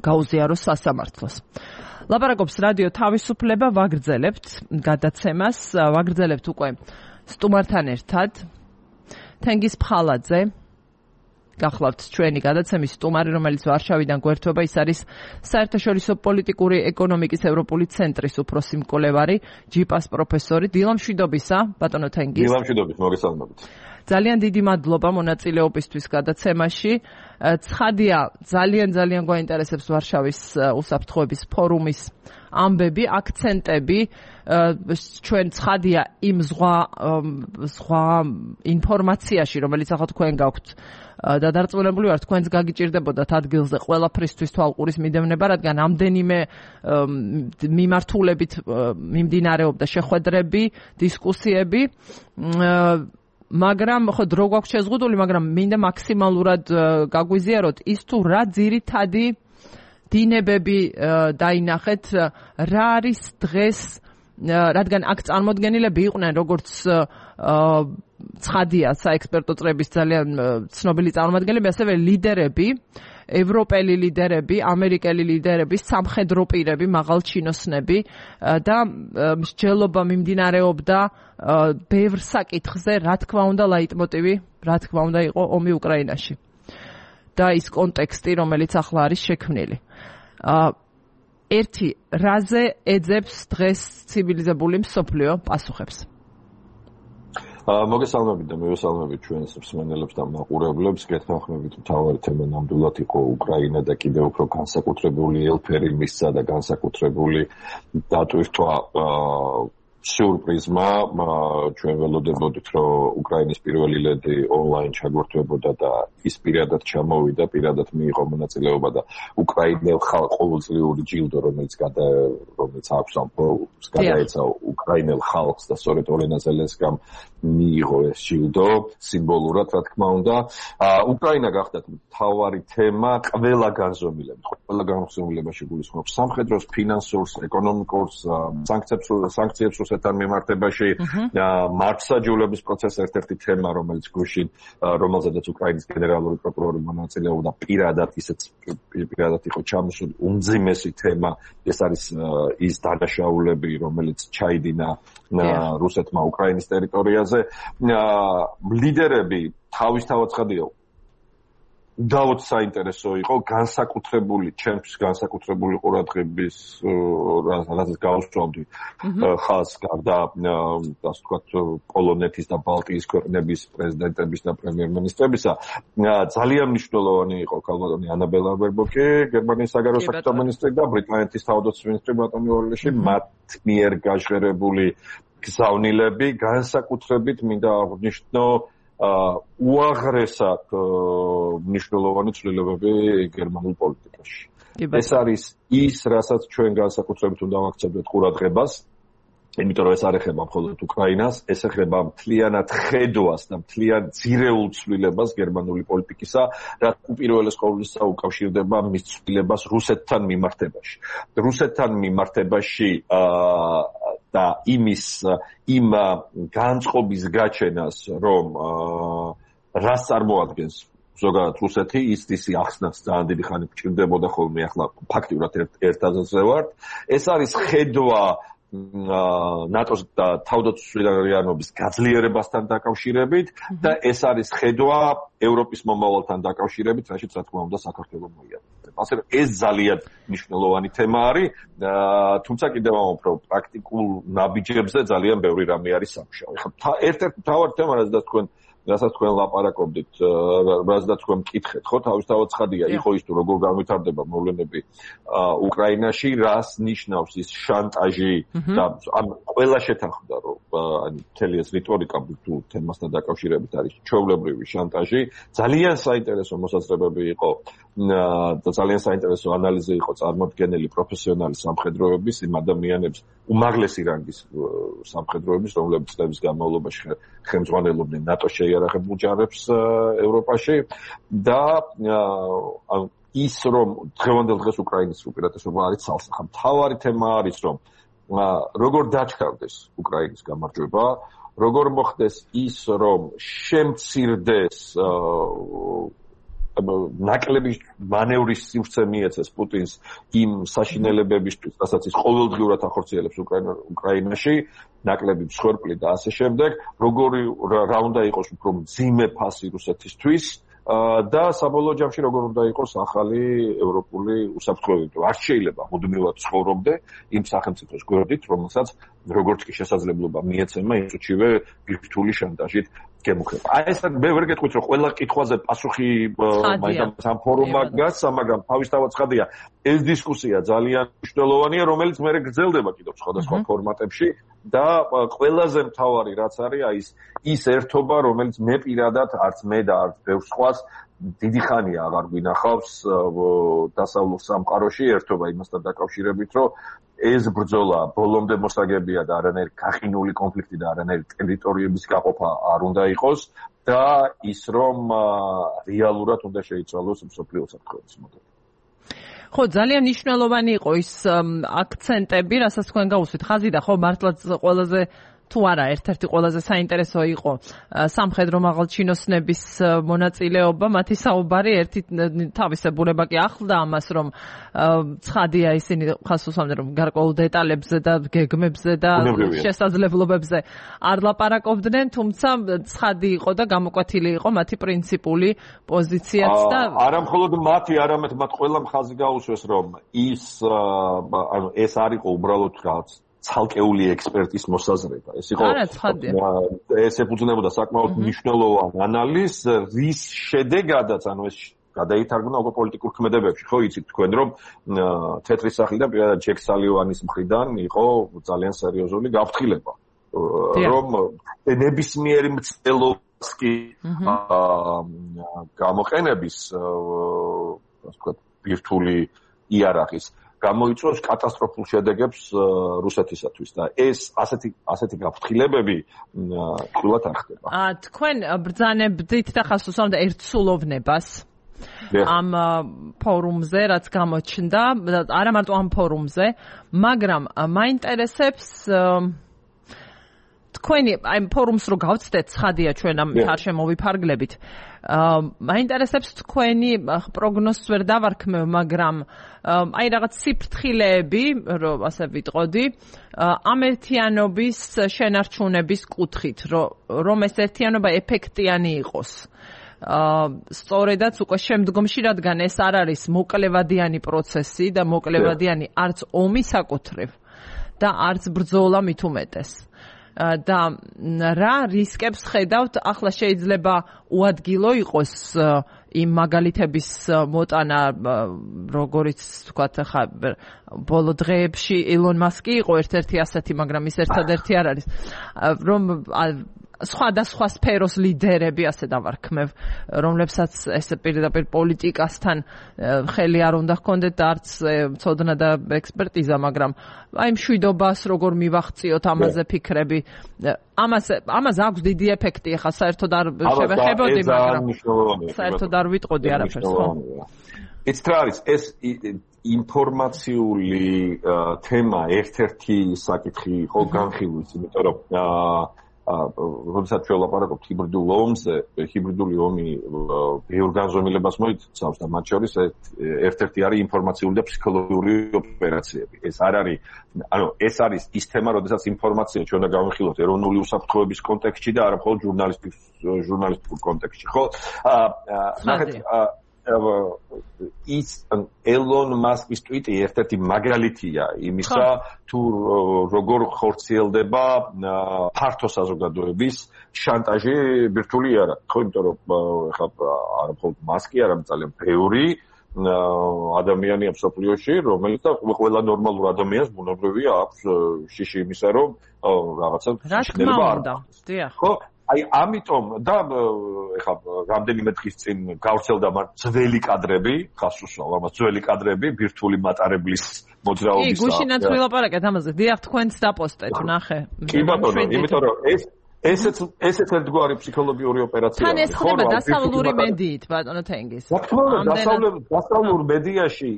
Speaker 1: გაუზიაროს სასამართლოს. ლაპარაკობს რადიო თავისუფლება, ვაგრძელებთ გადაცემას, ვაგრძელებთ უკვე სტუმართან ერთად. თენგიზ ფხალაძე გახლავთ ჩვენი გადაცემის სტუმარი, რომელიც ვარშავიდან გვერდება, ის არის საერთაშორისო პოლიტიკური ეკონომიკის ევროპული ცენტრის უფროსი მკვლევარი, ჯიპას პროფესორი. დილამშვიდობისა, ბატონო თენგიზ.
Speaker 3: დილამშვიდობით, მოგესალმებით.
Speaker 1: ძალიან დიდი მადლობა მონაწილეობისთვის გადაცემაში. ცხადია, ძალიან გვაინტერესებს ვარშავის უსაფრთხოების ფორუმის ამბები, აქცენტები. ჩვენ ცხადია იმ ზღვა ინფორმაციაში, რომელიც ახლა თქვენ გაქვთ და დარწმუნებული ვარ, თქვენს გაგიჭირდებოდათ ადგილზე ყველაფრისთვის თვალყურის მიდევნება, რადგან ამდენიმე მიმართულებით მიმდინარეობდა შეხვედრები, დისკუსიები. მაგრამ ხო დრო გვაქვს შეზღუდული, მაგრამ მინდა მაქსიმალურად გაგვიზიაროთ ის თუ რა ძირითადი დინებები დაინახეთ, რა არის დღეს, რადგან აქ წარმოდგენილები იყვნენ როგორც ცხადია საექსპერტო წრების ძალიან ცნობილი წარმომადგენლები, ასევე ლიდერები, ევროპელი ლიდერები, ამერიკელი ლიდერები, სამხედრო პირები, მაღალჩინოსნები და მსჯელობა მიმდინარეობდა ბევრ საკითხზე, რა თქმა უნდა ლაიტმოტივი, რა თქმა უნდა იყო ომი უკრაინაში და ის კონტექსტი, რომელიც ახლა არის შექმნილი. ერთი, რაზე ეძებს დღეს ცივილიზებული მსოფლიო პასუხებს?
Speaker 3: მოგესალმებით და მივესალმებით ჩვენს მსმენელებს და მაყურებლებს. გეთანხმებით, მთავარი თემა ნამდვილად იყო უკრაინა და კიდევ უფრო განსაკუთრებული ელფერი მისცა და განსაკუთრებული დატვირთვა სიურპრიზმა. ჩვენ ველოდებოდით, რომ უკრაინის პირველი ლედი ონლაინ ჩაგვერთვებოდა და ის პირადად ჩამოვიდა, პირადად მიიღო მონაწილეობა და უკრაინელ ყოველწლიური ჯილდო, რომელიც აქვს ამ ფორუმს, გადაეცა უკრაინელ ხალხს და სწორედ ოლენა ზელენსკამ მიიღო ეს ჯილდო სიმბოლურად, რა თქმა უნდა. უკრაინა გახდათ მთავარი თემა ყველა განზომილებაში გულისხმობს სამხედროს, ფინანსურს, ეკონომიკურს, სანქციებს რუსეთთან მიმართებაში. მართლმსაჯულების პროცესი ერთ-ერთი თემა, რომელზედაც უკრაინის გენერალური პროკურორი მონაწილეობდა, პირადად იყო ჩამოსული უმძიმესი თემა. ეს არის ის დანაშაულები, რომელიც ჩაიდინა რუსეთმა უკრაინის ტერიტორიაზე. ლიდერები თავისთავად ცხადია, დავთ საინტერესო იყო ჩემთვის განსაკუთრებული ყურადღების რაზეც გავუსწავლდი ხალხს გარდა ასე ვთქვათ პოლონეთის და ბალტიის ქვეყნების პრეზიდენტების და პრემიერ-მინისტრებისა. ძალიან მნიშვნელოვანი იყო ქალბატონი ანა ბელარბერბოკი, გერმანიის საგარეო საქმეთა მინისტრი და ბრიტანეთის თავდაცვის მინისტრი ბატონი ორლეში, მათ მიერ გაჟღერებული გზავნილები განსაკუთრებით მინდა აღვნიშნო უაღრესად მნიშვნელოვანი ცვლილებები გერმანულ პოლიტიკაში. ეს არის ის, რასაც ჩვენ განსაკუთრებით უნდა ვაქცევდეთ ყურადღებას, იმიტომ რომ ეს არ ეხება მხოლოდ უკრაინას, ეს ეხება მთლიანად ხედვას და მთლიან ძირეულ ცვლილებას გერმანული პოლიტიკისა, რაც უპირველეს ყოვლისა უკავშირდება მის ცვლილებას რუსეთთან მიმართებაში. და იმ განწყობის გაჩენას, რომ რას წარმოადგენს ზოგადად რუსეთი, ის ახსნაც ძალიან დიდი ხანი გჭირდებოდა ხოლმე, ახლა ფაქტიურად ერთ აზრზე ვართ. ეს არის ხედვა ნატოს და თავდაცვითარიანობის გაძლიერებასთან დაკავშირებით და ეს არის ხედვა ევროპის მომავალთან დაკავშირებით, რაშიც რა თქმა უნდა საქართველოს მოიაზრება. ასე რომ ეს ძალიან მნიშვნელოვანი თემა არის, თუმცა კიდევ ამბობ, რომ პრაქტიკულ ნაბიჯებზე ძალიან ბევრი რამე არის სამუშაო. ეხლა ერთ-ერთი მთავარი თემა, რასაც თქვენ ლაპარაკობდით, რასაც თქვენ მკითხეთ, ხო, თავისთავად ცხადია, იყო ის თუ როგორ განვითარდება მოვლენები უკრაინაში, რას ნიშნავს ის შანტაჟი და ამ ყველა შეთანხმდა, რომ მთელი ეს რიტორიკა თუ თემასთან დაკავშირებით არის ჩვეულებრივი შანტაჟი, ძალიან საინტერესო მოსაზრებები იყო და ძალიან საინტერესო ანალიზი იყო წარმოდგენილი პროფესიონალი სამხედროების, იმ ადამიანების, უმაღლესი რანგის სამხედროების, რომლებიც წლების განმავლობაში ხელმძღვანელობდნენ ნატოს შეიარაღებულ ჯარებს ევროპაში და ის რომ დღევანდელ დღეს უკრაინის უპირატესობა არის ცალსახა. მთავარი თემა არის რომ როგორ დაჩქარდეს უკრაინის გამარჯვება, როგორ მოხდეს ის რომ შემცირდეს ნაკლები მანევრის სივრცე მიეცეს პუტინს იმ საშინელებებისთვის, რასაც ის ყოველდღიურად ახორციელებს უკრაინაში, ნაკლები მსხვერპლი და ასე შემდეგ, რა უნდა იყოს უფრო მძიმე ფასი რუსეთისთვის და საბოლოო ჯამში როგორ უნდა იყოს ახალი ევროპული უსაფრთხოება. არ შეიძლება მუდმივად ცხოვრობდე იმ სახელმწიფოს გვერდით, რომელსაც როგორც კი შესაძლებლობა მიეცემა იმ წუთშივე ბირთვული შანტაჟით გემუქრება. ეს მე ვერ გეტყვით, რომ ყველა კითხვაზე პასუხი მაინც ამ ფორუმმა გასცა, მაგრამ თავისთავად ცხადია, ეს დისკუსია ძალიან მნიშვნელოვანია, რომელიც მე გრძელდება კიდევ სხვადასხვა ფორმატებში და ყველაზე მთავარი რაც არის, ის ერთობა, რომელიც მე პირადად არც მე და არც ბევრ სხვას დიდი ხანია აღარ გვინახავს დასავლურ სამყაროში, ერთობა იმასთან დაკავშირებით, რომ ეს ბრძოლა ბოლომდე მოსაგებია და არანაირი გაყინული კონფლიქტი და არანაირი ტერიტორიების გაყოფა არ უნდა იყოს და ის რომ რეალურად უნდა შეიცვალოს მსოფლიო საფრთხეების მოდელი.
Speaker 1: ხო, ძალიან მნიშვნელოვანი იყო ის აქცენტები, რასაც თქვენ გაუსვით. ხაზიდა, ხო, მართლაც ყველაზე თუ არა, ერთ-ერთი ყველაზე საინტერესო იყო სამხედრო მაღალჩინოსნების მონაწილეობა, მათი საუბარი, ერთი თავისებურება კი ახლდა ამას, რომ ცხადია ისინი ხას უსვამდნენ, რომ გარკვეულ დეტალებზე და გეგმებზე და შესაძლებლობებზე არ ლაპარაკობდნენ, თუმცა ცხადი იყო და გამოკვეთილი იყო მათი პრინციპული პოზიციაც და
Speaker 3: არა მხოლოდ მათი, არამედ მათ ყველამ ხაზი გაუსვეს, რომ ეს არ იყო უბრალოდ რაღაც ცალკეული ექსპერტის მოსაზრება. ეს იყო ეს ეფუძნებოდა საკმაოდ მნიშვნელოვან ანალიზს, რის შედეგადაც, ეს გადაითარგმნა უკვე პოლიტიკურ ქმედებებში. ხო იცით თქვენ, რომ თეთრი სახლი და პირადად ჯეკ სალივანის მხრიდან იყო ძალიან სერიოზული გაფრთხილება, რომ ნებისმიერი მცდელობას კი გამოყენების, ასე ვთქვათ, ბირთვული იარაღის გამოიწვევს კატასტროფულ შედეგებს რუსეთისათვის და ეს ასეთი გაფრთხილებები თულად არ ხდება.
Speaker 1: თქვენ ბრძანებდით და ხას უსვამდა ერთსულოვნებას ამ ფორუმზე, რაც გამოჩნდა, არა მარტო ამ ფორუმზე, მაგრამ მაინტერესებს თქვენი აი ფორუმს რო გავცდეთ, ცხადია ჩვენ ამ არ შემოვიფარგლებით. მაინტერესებს თქვენი პროგნოზს ვერ დავარქმევ, მაგრამ აი რაღაც სიფრთხილეები, რომ ასე ვიტყოდი, ამ ერთიანობის შენარჩუნების კუთხით, რომ ეს ერთიანობა ეფექტიანი იყოს. სწორედაც უკვე შემდგომში, რადგან ეს არ არის მოკლევადიანი პროცესი და მოკლევადიანი არც ომი საკუთრივ და არც ბრძოლა მით უმეტეს. და რა რისკებს ხედავთ, ახლა შეიძლება უადგილო იყოს იმ მაგალითების მოტანა, როგორიც ვთქვათ, ხა ბოლო დღეებში ილონ მასკი იყო ერთ-ერთი ასეთი, მაგრამ ის ერთადერთი არ არის, რომ სხვადასხვა სფეროს ლიდერები, ასე დავარქმევ, რომლებსაც ეს პირდაპირ პოლიტიკასთან ხელი არ უნდა ჰქონდეთ და არც ცოდნა და ექსპერტიზა, მაგრამ აი მშვიდობას როგორ მივახციოთ, ამაზე ფიქრები. ამას აქვს დიდი ეფექტი, ახლა საერთოდ არ შევეხებოდი, მაგრამ საერთოდ არ ვიტყოდი არაფერს, ხო?
Speaker 3: ეს რა არის? ინფორმაციული თემა ერთ-ერთი საკითხი იყო განხილვის, იმიტომ რომ როდესაც ჩვენ ვლაპარაკობთ ჰიბრიდულ ომზე, ჰიბრიდული ომი ბევრ განზომილებას მოიცავს და მათ შორის ერთ-ერთი არის ინფორმაციული და ფსიქოლოგიური ოპერაციები. ეს არის ის თემა, როდესაც ინფორმაცია ჩვენ უნდა გავიხილოთ ეროვნული უსაფრთხოების კონტექსტში და არა მხოლოდ ჟურნალისტიკურ კონტექსტში, ხო? ის ელონ მასკის ტვიტი ერთ-ერთი მაგალითია იმისა, თუ როგორ ხორციელდება ფართო საზოგადოების შანტაჟი ბირთვული არა. ხო, იმიტომ რომ ხა არა მხოლოდ მასკი, არამედ ძალიან ბევრი ადამიანია მსოფლიოში, რომელიც და ყველა ნორმალურ ადამიანს ბუნებრივია აქვს შიში იმისა, რომ რაღაცა შეიძლება არ
Speaker 1: დიახ.
Speaker 3: ხო? აი ამიტომ და ეხლა რამდენიმე დღის წინ გავრცელდა ძველი კადრები, ხას უსვამ ამას ძველი კადრები ბირთვული მატარებლის მოძრაობის.
Speaker 1: კი, გუშინაც ვილაპარაკეთ ამაზე. დიახ, თქვენც დაპოსტეთ, ნახე.
Speaker 3: კი ბატონო, იმიტომ რომ ესეც ერთგვარი ფსიქოლოგიური ოპერაციაა.
Speaker 1: თან ეს ხდება დასავლური მედიით, ბატონო თენგის.
Speaker 3: რა თქმა უნდა, დასავლურ მედიაში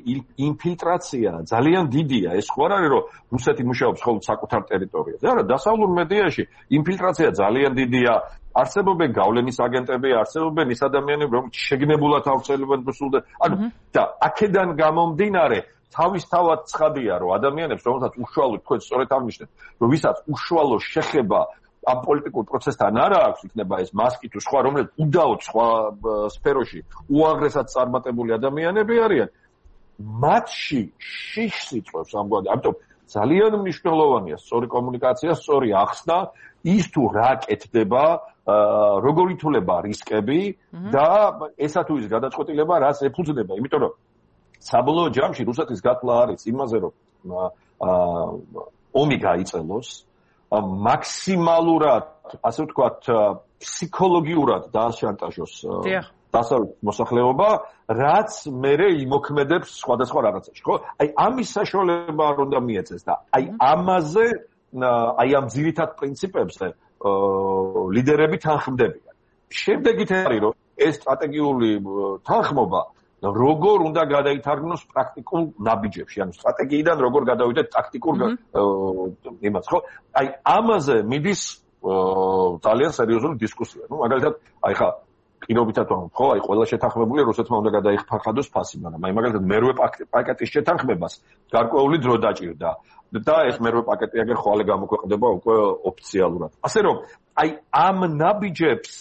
Speaker 3: ინფილტრაცია ძალიან დიდია. ეს ხო არ არის, რომ რუსეთი მუშაობს მხოლოდ საკუთარ ტერიტორიაზე. არა, დასავლურ მედიაში ინფილტრაცია ძალიან დიდია. არსებობენ გავლენის აგენტები, არსებობენ ის ადამიანები, რომლებიც შეგნებულად ავრცელებენ რუსულ და აქედან გამომდინარე თავისთავად ცხადია, რომ ადამიანებს, რომელსაც უშუალო თქვენ სწორედ აღნიშნეთ, რომ ვისაც უშუალო შეხება ამ პოლიტიკურ პროცესთან არა აქვს, იქნება ეს მასკი თუ სხვა, რომელიც უდაოდ სხვა სფეროში უაღრესად წარმატებული ადამიანები არიან, მათში შიშს იწვევს ამგვარი. ამიტომ ძალიან მნიშვნელოვანია სწორი კომუნიკაცია, სწორი ახსნა, ის თუ რა კეთდება, როგორ ითვლება რისკები და ესა თუ ის გადაწყვეტილება რას ეფუძნება, იმიტომ რომ საბოლოო ჯამში რუსეთის გათვლა არის იმაზე, რომ ომი გაიწელოს მაქსიმალურად, ასე ვთქვათ, ფსიქოლოგიურად დააშანტაჟოს დასავლეთ მოსახლეობა, რაც მერე იმოქმედებს სხვადასხვა რაღაცაში, ხო? აი ამის საშუალება არ უნდა მიეწეს და აი ამაზე, აი ამ ძირითად პრინციპებზე ლიდერები თანხმდებიან. შემდეგით არის, რომ ეს სტრატეგიული თანხმობა როგორ უნდა გადაითარგმნოს პრაქტიკულ ნაბიჯებში, ანუ სტრატეგიიდან როგორ გადავიდეთ ტაქტიკურ იმას, ხო? აი ამაზე მიდის ძალიან სერიოზული დისკუსია. ნუ მაგალითად, აი ხა პირობითად ვამბობ, ხო, აი ყველა შეთანხმებული რუსეთმა უნდა გადაიხარხადოს ფასი, მაგრამ აი მაგალითად მერვე პაკეტის შეთანხმებას გარკვეული დრო დაჭირდა და ეს მერვე პაკეტი აგერ ხვალე გამოქვეყნდება უკვე ოფიციალურად. ასე რომ აი ამ ნაბიჯებს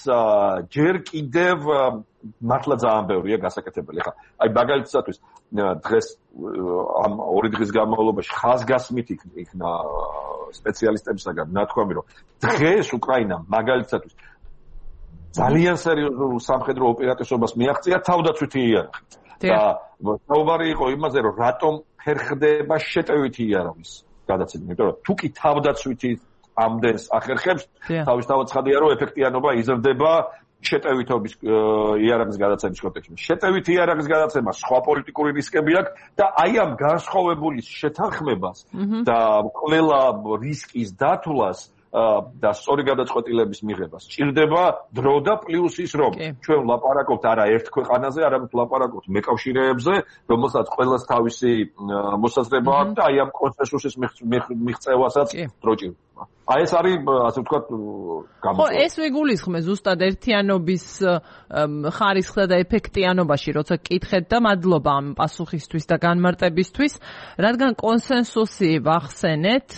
Speaker 3: ჯერ კიდევ მართლა ძალიან ბევრია გასაკეთებელი. ხა აი მაგალითად დღეს ამ 2 დღის განმავლობაში ხაზგასმით იქნა სპეციალისტებისაგან ნათქვამი, რომ დღეს უკრაინამ მაგალითად ძალიან სერიოზულ სამხედრო ოპერატიულობას მიაღწია თავდაცვითი იარაღით. და საუბარი იყო იმაზე, რომ რატომ ხერხდება შეტევითი იარაღის გადაცემა, იმიტომ რომ თუ კი თავდაცვითი ამდენს ახერხებს, თავისთავად ცხადია, რომ ეფექტიანობა იზრდება შეტევითობის იარაღის გადაცემის კონტექსტში. შეტევითი იარაღის გადაცემა სხვა პოლიტიკური რისკები აქვს და აი ამ განსხვავებული შეთანხმებას და ყველა რისკის დათვლას და სწორი გადაწყვეტილების მიღებას სჭირდება დრო და პლუს ის, რომ ჩვენ ვლაპარაკობთ არა ერთ ქვეყანაზე, არამედ ვლაპარაკობთ მეკავშირეებზე, რომელსაც ყველას თავისი მოსაზრება აქვს და აი ამ კონსენსუსის მიღწევასაც დრო ჭირდება. აი ეს არის, ასე ვთქვათ,
Speaker 1: ხო, ეს ვიგულისხმე ზუსტად ერთიანობის ხარისხსა და ეფექტიანობაში, როცა გკითხეთ და მადლობა ამ პასუხისთვის და განმარტებისთვის, რადგან კონსენსუსი ვახსენეთ,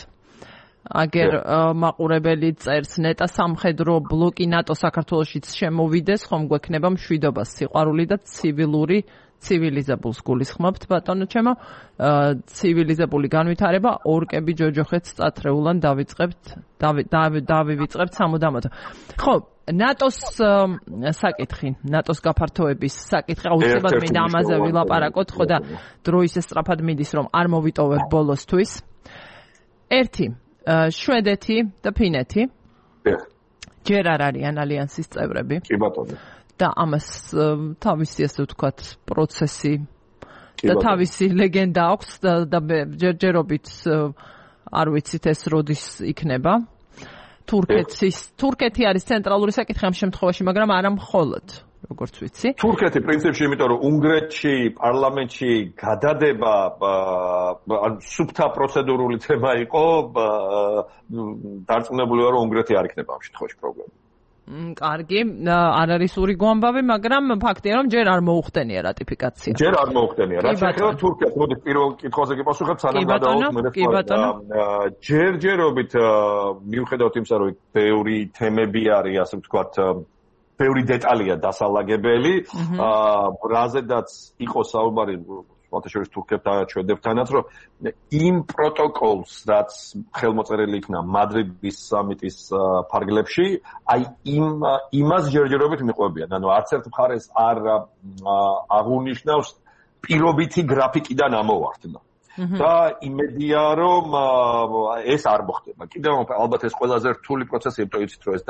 Speaker 1: აგერ მაყურებელი წერს ნეტა სამხედრო ბლოკი ნატო საქართველოშიც შემოვიდეს, ხომ გვექნება მშვიდობა, სიყვარული და ცივილიზებულს გულისხმობთ, ბატონო ჩემო, ცივილიზებული განვითარება ორკები ჯოჯოხეთს წათრეულან დავივიწყებთ სამუდამოდ. ხო, ნატოს საკითხი, ნატოს გაფართოების საკითხი, აუცილებლად მინდა ამაზე ვილაპარაკოთ, ხო და დრო ისე სწრაფად მიდის, რომ არ მოვიტოვებ ბოლოსთვის. ერთი შვედეთი და ფინეთი ჯერ არ არიან ალიანსის წევრები.
Speaker 3: კი ბატონო.
Speaker 1: და ამას თავისი ასე ვთქვათ პროცესი და თავისი ლეგენდა აქვს და ჯერჯერობით არ ვიცით ეს როდის იქნება. თურქეთი არის ცენტრალური საკითხი ამ შემთხვევაში, მაგრამ არა მხოლოდ. როგორც ვიცი.
Speaker 3: თურქეთი პრინციპში, იმიტომ რომ უნგრეთში პარლამენტში გადადება სუფთა პროცედურული თემა იყო, დარწმუნებული ვარ, რომ უნგრეთი არ იქნება ამ შემთხვევაში პრობლემა.
Speaker 1: კარგი, არ არის ურიგო ამბავი, მაგრამ ფაქტია, რომ ჯერ არ მოუხდენია რატიფიკაცია.
Speaker 3: ჯერ არ მოუხდენია. რაც ეხება თურქეთს, მოდი პირველ კითხვაზე გიპასუხებ, სანამ გადავიდეთ. ჯერჯერობით მიუხედავად იმისა, რომ ბევრი თემები არის, ასე ვთქვათ, ბევრი დეტალია დასალაგებელი, რაზედაც იყო საუბარი შორის თურქებთან ჩვენებთანაც, რომ იმ პროტოკოლს, რაც ხელმოწერილი იქნა მადრიდის სამიტის ფარგლებში, აი იმას ჯერჯერობით მიყვებიან. ანუ არც ერთ მხარეს არ აღუნიშნავს პირობითი გრაფიკიდან ამოვარდნა. და იმედია, რომ ეს არ მოხდება. კიდევ ალბათ ეს ყველაზე რთული პროცესი, იმიტომ იცით, რომ ეს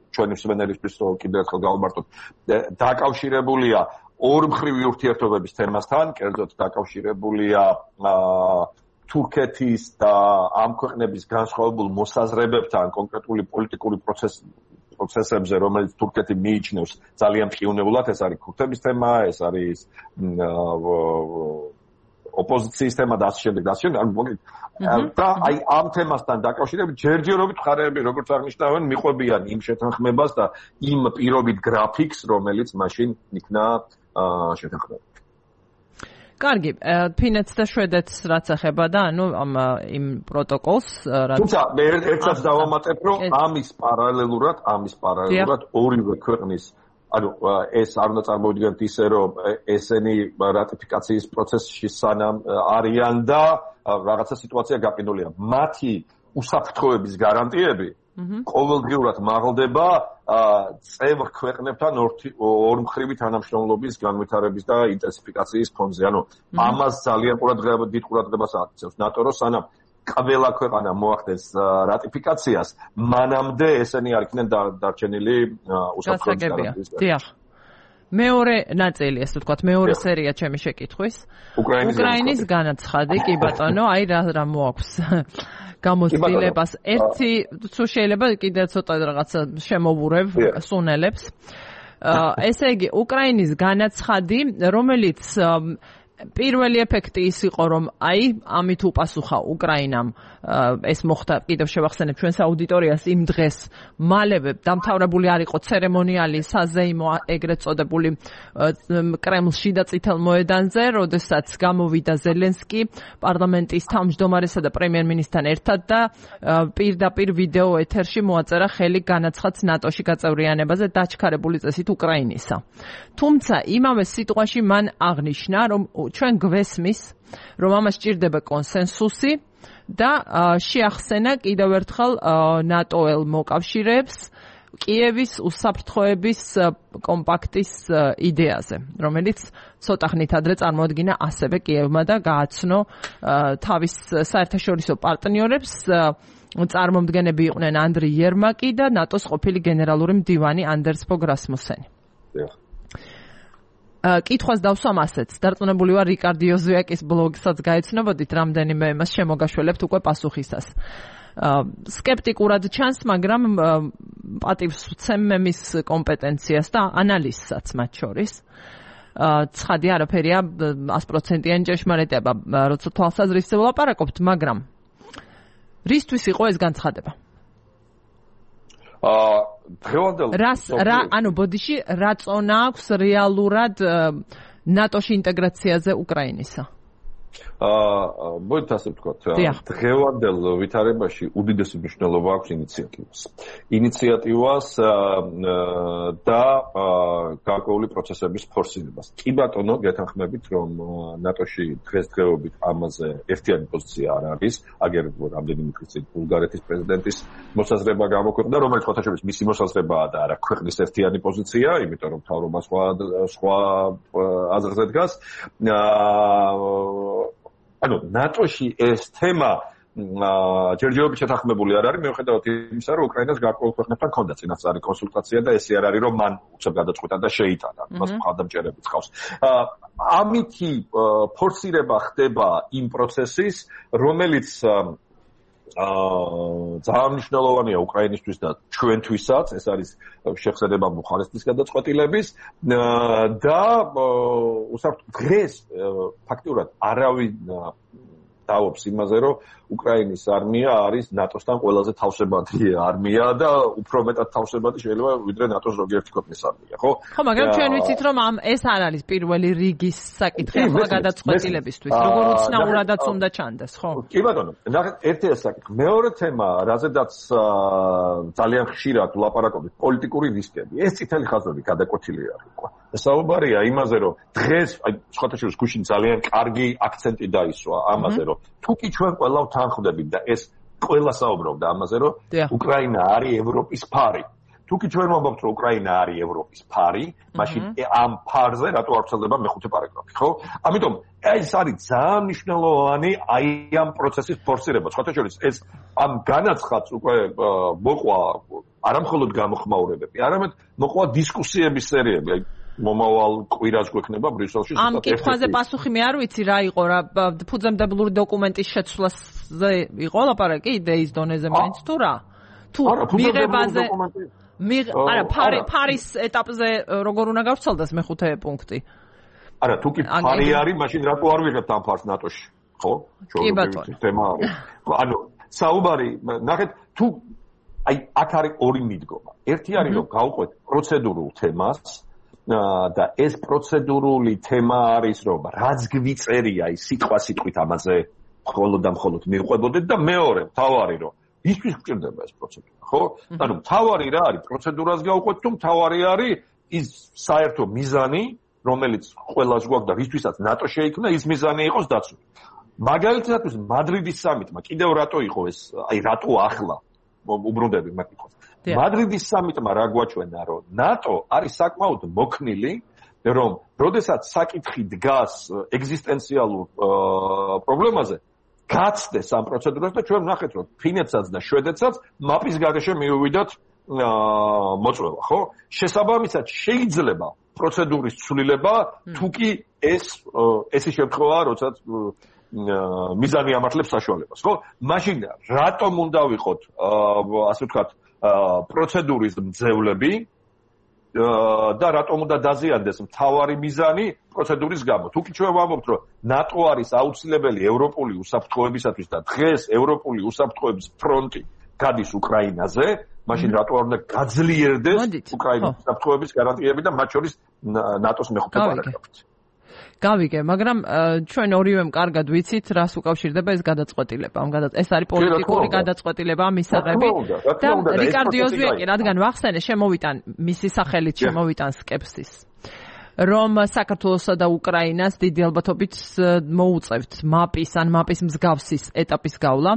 Speaker 3: ჩვენი მსმენელისთვის რომ კიდევ ერთხელ გავმარტოთ, დაკავშირებულია ორმხრივი ურთიერთობების თემასთან, კერძოდ დაკავშირებულია თურქეთის და ამ ქვეყნების განსხვავებულ მოსაზრებებთან, კონკრეტული პოლიტიკური პროცესებზე, რომელიც თურქეთი მიიჩნევს ძალიან ყიუნებულად, ეს არის ქურთების თემა, ეს არის ოპოზიციის თემა და ასე შემდეგ. და აი ამ თემასთან დაკავშირებით ჯერჯერობით მხარეები, როგორც აღნიშნავენ, მიყვებიან იმ შეთანხმებას და იმ პირობით გრაფიკს, რომელიც მაშინ იქნა შეთანხმებული.
Speaker 1: კარგი, ფინეთს და შვედეთს რაც ეხება და ანუ იმ პროტოკოლს რაც
Speaker 3: თუმცა მე ერთსაც დავამატებ, რომ ამის პარალელურად ორივე ქვეყნის ანუ ეს არ უნდა წარმოვიდგინოთ ისე, რომ ესენი რატიფიკაციის პროცესში სანამ არიან და რაღაცა სიტუაცია გაყინულია. მათი უსაფრთხოების გარანტიები ყოველდღიურად მაღლდება წევრ ქვეყნებთან ორმხრივი თანამშრომლობის განვითარების და ინტენსიფიკაციის ფონზე. ანუ ამას ძალიან დიდ ყურადღებას აქცევს ნატო, რომ სანამ ყველა ქვეყანა მოახდენს რატიფიკაციას, მანამდე ესენი არ იქნენ დარჩენილი უსაფრთხოების გარანტიის.
Speaker 1: დიახ. მეორე ნაწილი, ასე ვთქვათ, მეორე სერია ჩემი შეკითხვის. უკრაინის განაცხადი, კი ბატონო, აი რა მოაქვს გამოცდილებას. ერთი თუ შეიძლება კიდევ ცოტა რაღაცა შემოვურევ სუნელებს. ესე იგი, უკრაინის განაცხადი, რომელიც პირველი ეფექტი ის იყო, რომ აი ამით უპასუხა უკრაინამ ეს მოხდა, კიდევ შევახსენებ ჩვენს აუდიტორიას იმ დღეს მალევე დამთავრებული არ იყო ცერემონიალი საზეიმო ეგრეთ წოდებული კრემლში და წითელ მოედანზე, როდესაც გამოვიდა ზელენსკი პარლამენტის თავმჯდომარესა და პრემიერ-მინისტრთან ერთად და პირდაპირ ვიდეო ეთერში მოაწერა ხელი განაცხადს ნატოში გაწევრიანებაზე დაჩქარებული წესით უკრაინისა. თუმცა იმავე სიტყვაში მან აღნიშნა, რომ ჩვენ გვესმის, რომ ამას სჭირდება კონსენსუსი და შეახსენა კიდევ ერთხელ ნატოელ მოკავშირეებს კიევის უსაფრთხოების კომპაქტის იდეაზე, რომელიც ცოტა ხნით ადრე წარმოადგინა ასევე კიევმა და გააცნო თავის საერთაშორისო პარტნიორებს. წარმომადგენლები იყვნენ ანდრი იერმაკი და ნატოს ყოფილი გენერალური მდივანი ანდერს ფოგ რასმუსენი. კითხვას დავსვამ ასეც. დარწმუნებული ვარ რიკარდ იოზვიაკის ბლოგსაც გაეცნობოდით, რამდენიმე იმას შემოგაშველებთ უკვე პასუხისას. სკეპტიკურად ჩანს, მაგრამ პატივს ვცემ მის კომპეტენციას და ანალიზსაც მათ შორის. ცხადი არაფერია 100%-იანი ჭეშმარიტება, როცა თვალსაზრისით ვლაპარაკობთ, მაგრამ რისთვის იყო ეს განცხადება? ანუ ბოდიში რა წონა აქვს რეალურად ნატოში ინტეგრაციაზე უკრაინისა?
Speaker 3: მოდით ასე ვთქვათ, დღევანდელ ვითარებაში უდიდესი მნიშვნელობა აქვს ინიციატივას და გარკვეული პროცესების ფორსირებას. კი ბატონო, გეთანხმებით, რომ ნატოში დღესდღეობით ამაზე ერთიანი პოზიცია არ არის. აგერ რამდენიმე ხნის წინ ბულგარეთის პრეზიდენტის მოსაზრება გამოქვეყნდა, რომელიც ხოთაშორის მისი მოსაზრებაა და არა ქვეყნის ერთიანი პოზიცია, იმიტომ რომ მთავრობა სხვა აზრზე დგას. ანუ ნატოში ეს თემა ჯერჯერობით შეთანხმებული არ არის, მიუხედავად იმისა, რომ უკრაინას გარკვეულ ქვეყნებთან ჰქონდა წინასწარი კონსულტაცია და ესე არ არის, რომ მან უცებ გადაწყვიტა და შეიტანა. მას მხარდამჭერები ჰყავს. ამითი ფორსირება ხდება იმ პროცესის, რომელიც ძალიან მნიშვნელოვანია უკრაინისთვის და ჩვენთვისაც, ეს არის შეხსენება ბუხარესტის გადაწყვეტილების და დღეს ფაქტიურად არავინ დავობს იმაზე, რომ უკრაინის არმია არის ნატოსთან ყველაზე თავშებადი არმია და უფრო მეტად თავშებადი შეიძლება ვიდრე ნატოს ზოგიერთი ქვეყნის არმია, ხო?
Speaker 1: ხო, მაგრამ ჩვენ ვიცით, რომ ეს არ არის პირველი რიგის საკითხი ახლა გადაწყვეტილებისთვის, როგორ უცნაურადაც უნდა ჩანდეს, ხო?
Speaker 3: კი ბატონო, ნახეთ, ერთი ეს საკითხი. მეორე თემა, რაზედაც ძალიან ხშირად ვლაპარაკობთ, პოლიტიკური რისკები. ეს წითელი ხაზები გადაკვეთილი არის, ხო? საუბარია იმაზე, რომ დღეს, სხვათა შორის გუშინ ძალიან კარგი აქცენტი დაისვა ამაზე, რომ თუკი ჩვენ ყველა თანხმდებით და ეს ყველა საუბრობდა ამაზე, რომ უკრაინა არის ევროპის ფარი. თუკი ჩვენ ვამბობთ, რომ უკრაინა არის ევროპის ფარი, მაშინ ამ ფარზე რატო არ ვრცელდება მეხუთე პარაგრაფი, ხო? ამიტომ ეს არის ძალიან მნიშვნელოვანი აი ამ პროცესის ფორსირება. სხვათა შორის ეს ამ განაცხადს უკვე მოყვა არამხოლოდ გამოხმაურებები, არამედ მოყვა დისკუსიების სერიები. მომავალ კვირას გვექნება ბრიუსელში.
Speaker 1: ამ კითხვაზე პასუხი მე არ ვიცი რა იყო რა ფუძემდებლური დოკუმენტის შეცვლაზე იყო ლაპარაკი იდეის დონეზე მაინც თუ რა? თუ მიღებაზე არა ფარის ეტაპზე როგორ უნდა გავრცელდეს მეხუთე პუნქტი?
Speaker 3: არა, თუ კი ფარი არის, მაშინ რატო არ ვიღებთ ამ ფარს ნატოში? ხო?
Speaker 1: კი ბატონო.
Speaker 3: თემა არის. ანუ საუბარი, ნახეთ, თუ აი აქ არის ორი მიდგომა. ერთი არის რომ გავყვეთ პროცედურულ თემას და ეს პროცედურული თემა არის რომ რაც გვიწერია ის სიტყვით ამაზე მხოლოდ და მხოლოდ მივყვებოდეთ და მეორე თავარი რომ ისთვის გვჭირდება ეს პროცედურა ხო? ანუ თავარი რა არის პროცედურას გავყვეთ თუ თავარი არის ის საერთო მიზანი რომელიც ყველას გვაქვს და ვისთვისაც ნატო შეიქმნა ის მიზანი იყოს დაცული. მაგალითად მადრიდის სამიტმა კიდევ რატო იყო ეს აი რატო ახლა უბრუნდები მაგითხოვს. მადრიდის სამიტმა რა გვაჩვენა რომ ნატო არის საკმაოდ მოქნილი რომ როდესაც საკითხი დგას ეგზისტენციალურ პრობლემაზე გაცდეს ამ პროცედურას და ჩვენ ვნახეთ რომ ფინეთსაც და შვედეთსაც მაპის გარეშე მიუვიდათ მოწვევა ხო? შესაბამისად შეიძლება პროცედურის ცვლილება თუკი ესე შემთხვევაა როდესაც მიზანი ამართლებს საშუალებას ხო? მაშინ რატომ უნდა ვიყოთ ასე ვთქვათ პროცედურის მძევლები და რატომ უნდა დაზიანდეს მთავარი მიზანი პროცედურის გამო. თუკი ჩვენ ვამბობთ, რომ ნატო არის აუცილებელი ევროპული უსაფრთხოებისათვის და დღეს ევროპული უსაფრთხოების ფრონტი გადის უკრაინაზე, მაშინ რატო არ უნდა გაძლიერდეს უკრაინის უსაფრთხოების გარანტიები და მათ შორის ნატოს მეხუთე პარაგრაფით.
Speaker 1: გავიგე, მაგრამ ჩვენ ორივემ კარგად ვიცით, რას უკავშირდება ეს გადაწყვეტილება. ეს არის პოლიტიკური გადაწყვეტილება მისაღები და რიკარდო ოზვიაკი, რადგან ვახსენე, შემოვიტან მისი სახელით შემოვიტან სკეპსის. რომ საქართველოსა და უკრაინას დიდი ალბათობით მოუწევთ მაპის მსგავსის ეტაპის გავლა,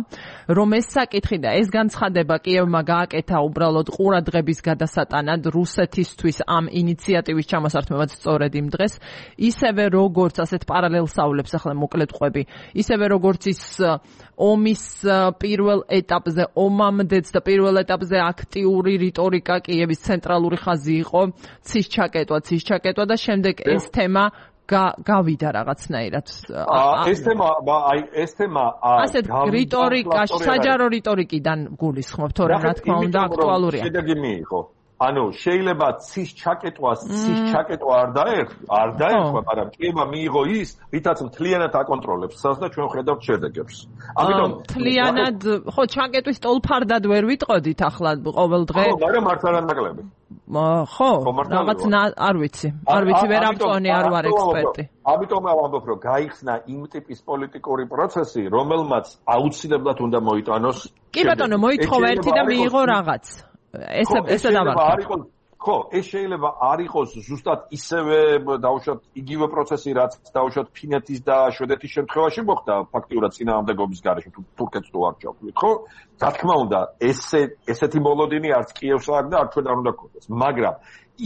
Speaker 1: რომ ეს საკითხი და ეს განცხადება კიევმა გააკეთა უბრალოდ ყურადღების გადასატანად რუსეთისთვის ამ ინიციატივის ჩამოსართმევად სწორედ იმ დღეს, ისევე როგორც ასეთ პარალელსავლებს ახლა მოკლედ ყვები, ისევე როგორც ის ომის პირველ ეტაპზე, ომამდეც და პირველ ეტაპზე აქტიური რიტორიკა კიევის ცენტრალური ხაზი იყო, ცის ჩაკეტვა და შემდეგ ეს თემა გავიდა რაღაცნაირად.
Speaker 3: ეს თემა
Speaker 1: ასეთ რიტორიკაში, საჯარო რიტორიკიდან გულისხმობ, თორემ რა თქმა უნდა აქტუალურია.
Speaker 3: შედეგი მიიღო. ანუ შეიძლება ცის ჩაკეტვა არ დაერქვა, მაგრამ კიევა მიიღო ის, რითაც მთლიანად აკონტროლებს ცას და ჩვენ ხედავთ შედეგებს.
Speaker 1: ამიტომ მთლიანად, ხო, ჩაკეტვის ტოლფარდად ვერ ვიტყოდით ახლა ყოველ დღე.
Speaker 3: ხო, მაგრამ მართ არანაკლები.
Speaker 1: ხო, რაღაც არ ვიცი ვერ ამწონი არ ვარ ექსპერტი.
Speaker 3: ამიტომ ვამბობ რომ გაიხსნა იმ ტიპის პოლიტიკური პროცესი, რომელმაც აუცილებლად უნდა მოიტანოს.
Speaker 1: კი ბატონო, მოითხოვა ერთი და მიიღო რაღაც. ესე დავარქვა.
Speaker 3: ხო, ეს შეიძლება არ იყოს ზუსტად ისევე დაუშვათ იგივე პროცესი, რაც დაუშვათ ფინეთის და შვედეთის შემთხვევაში მოხდა ფაქტიურად წინააღმდეგობის გარეშე, თურქეთს თუ არ ჩავთვლით, ხო? რა თქმა უნდა, ესეთი მოლოდინი არც კიევს აქვს და არც ჩვენ არ უნდა გქონდეს, მაგრამ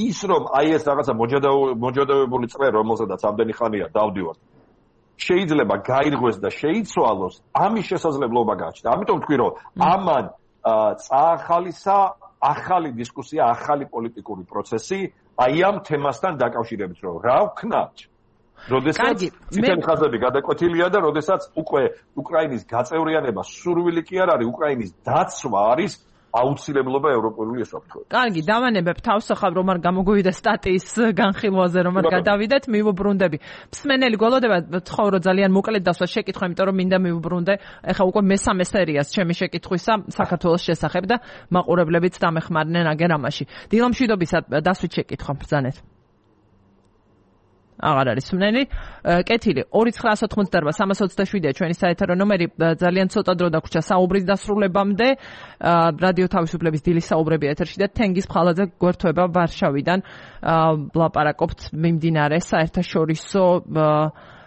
Speaker 3: ის რომ აი ეს რაღაცა მოჯადოებული წრე, რომელზედაც ამდენი ხანია დავდივართ, შეიძლება გაირღვეს და შეიცვალოს, ამის შესაძლებლობა გააჩნდა. ამიტომ ვთქვი, რომ ამან წაახალისა ახალი დისკუსია, ახალი პოლიტიკური პროცესი, აი ამ თემასთან დაკავშირებით, რომ რა ვქნათ როდესაც ციტენ ხაზები გადაკვეთილია და როდესაც უკვე უკრაინის გაწევრიანება სურვილი კი არ არის, უკრაინის დაცვა არის აუცილებლობა ევროპული უსაფრთხოება.
Speaker 1: კარგი, დავანებებ თავს ახლა რომ არ გამოგვივიდა სტატიის განხილვაზე, რომ არ გადავიდეთ, მივუბრუნდები. მსმენელი გველოდება, ცხოვრო ძალიან მოკლედ დასვა შეკითხვა, იმიტომ რომ მინდა მივუბრუნდე. ეხლა უკვე მესამე სერიას ჩემი შეკითხვისა საქართველოს შესახებ და მაყურებლებიც დამეხმარნენ აგერ ამაში. დილამშვიდობისა დასვით შეკითხვა ბრძანეთ. აღარ არის მსმენელი. კეთილი 2988-327-ია ჩვენი საეთერო ნომერი. ძალიან ცოტა დრო დაგვრჩა საუბრის დასრულებამდე. რადიო თავისუფლების დილის საუბრები ეთერში და თენგიზ ფხალაძე გვერდთვება ვარშავიდან. ვლაპარაკობთ მიმდინარე საერთაშორისო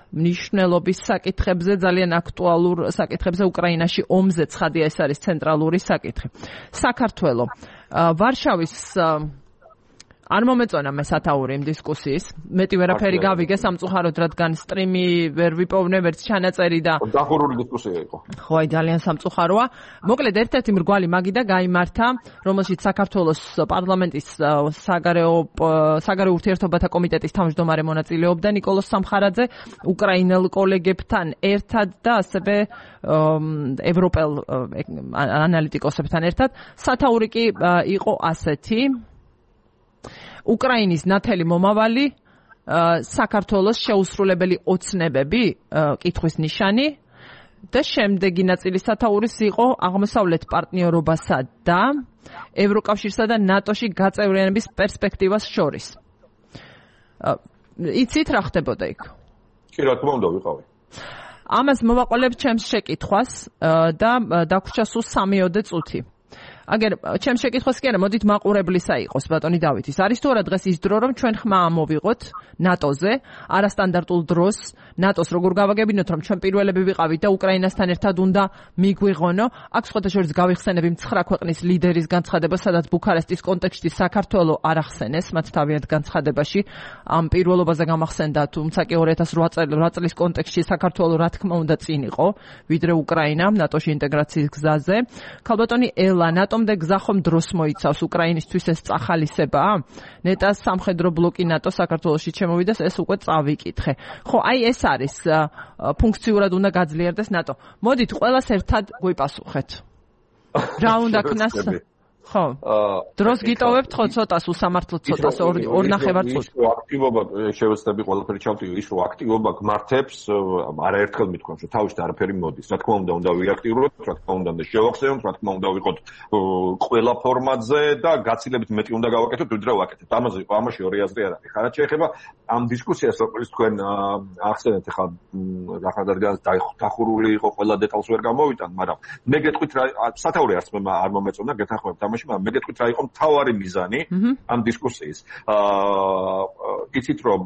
Speaker 1: მნიშვნელობის საკითხებზე, ძალიან აქტუალურ საკითხებზე უკრაინაში ომზე ცხადია ეს არის ცენტრალური საკითხი. საქართველო ვარშავის არ მომეწონა მე სათაური იმ დისკუსიის. მეტი ვერაფერი გავიგე სამწუხაროდ, რადგან სტრიმი ვერ ვიპოვნე, ვერც ჩანაწერი და
Speaker 3: დახურული დისკუსია იყო.
Speaker 1: ხო, აი ძალიან სამწუხაროა. მოკლედ ერთ-ერთი მრგვალი მაგიდა გაიმართა, რომელშიც საქართველოს პარლამენტის საგარეო ურთიერთობათა კომიტეტის თავმჯდომარე მონაწილეობდა ნიკოლოზ სამხარაძე, უკრაინელ კოლეგებთან ერთად და ასევე ევროპელ ანალიტიკოსებთან ერთად. სათაური კი იყო ასეთი: უკრაინის ნათელი მომავალი, საქართველოს შეუსრულებელი ოცნებები, კითხვის ნიშანი და შემდეგი ნაწილი სათაურის იყო აღმოსავლეთ პარტნიორობასა და ევროკავშირსა და ნატოში გაწევრიანების პერსპექტივას შორის. იცით რა ხდებოდა იქ?
Speaker 3: კი, რა თქმა უნდა, ვიყავი.
Speaker 1: ამას მოვაყოლებ ჩემს შეკითხვას და დაგვრჩა სულ 3-ოდე წუთი. აგერ ჩემს შეკითხვას კი არა, მოდით მაყურებლისა იყოს ბატონი დავითის. არის თუ არა დღეს ის დრო, რომ ჩვენ ხმა ამოვიღოთ ნატოზე, არასტანდარტულ დროს, ნატოს როგორ გავაგებინოთ, რომ ჩვენ პირველები ვიყავით და უკრაინასთან ერთად უნდა მიგვიღონო. აქ სხვათა შორის გავიხსენები 9 ქვეყნის ლიდერის განცხადება, სადაც ბუქარესტის კონტექსტში საქართველო არ ახსენეს, მათ თავიანთ განცხადებაში ამ პირველობაზე გამახსენდა, თუმცა კი 2008 წლის კონტექსტში საქართველო რა თქმა უნდა წინ იყო, ვიდრე უკრაინა ნატოში ინტეგრაციის გზაზე. ქალბატონი ელა, ნატომდე გზა ხომ დროს მოიცავს უკრაინისთვის ეს წახალისებაა? ნეტას სამხედრო ბლოკი ნატო საქართველოში შემოვიდეს, ეს უკვე წავიკითხე. ხო, აი ეს არის ფუნქციურად უნდა გაძლიერდეს ნატო. მოდით ყველას ერთად გვიპასუხეთ. რა უნდა ქნას? ხო. დროს გიტოვებთ ხო ცოტას უსამართლოდ ცოტას 2.5 წუთს.
Speaker 3: აქტივობა შევეცდები ყველაფერი ჩავთვლი, ის რომ აქტივობა გმართებს, არაერთხელ მithქვამს, რომ თავში არაფერი მოდის. რა თქმა უნდა ვიაქტიუროთ, რა თქმა უნდა შევახსენოთ, რა თქმა უნდა ვიყოთ ყველა ფორმატზე და გაცილებით მეტი უნდა გავაკეთოთ, ვიდრე ვაკეთებთ. ამაში ორი აზრი არ არის. ხარად შეეხება ამ დისკუსიას, როგორც თქვენ ახსენეთ, ახლა რახადარგან დახურული იყო, ყველა დეტალს ვერ გამოვიტან, მაგრამ მე გეტყვით რა სათაური არც მე არ მომეწონა, გეთანხმებთ ამაში, მაგრამ მე გეტყვით რა იყო მთავარი მიზანი ამ დისკუსიის. იცით რომ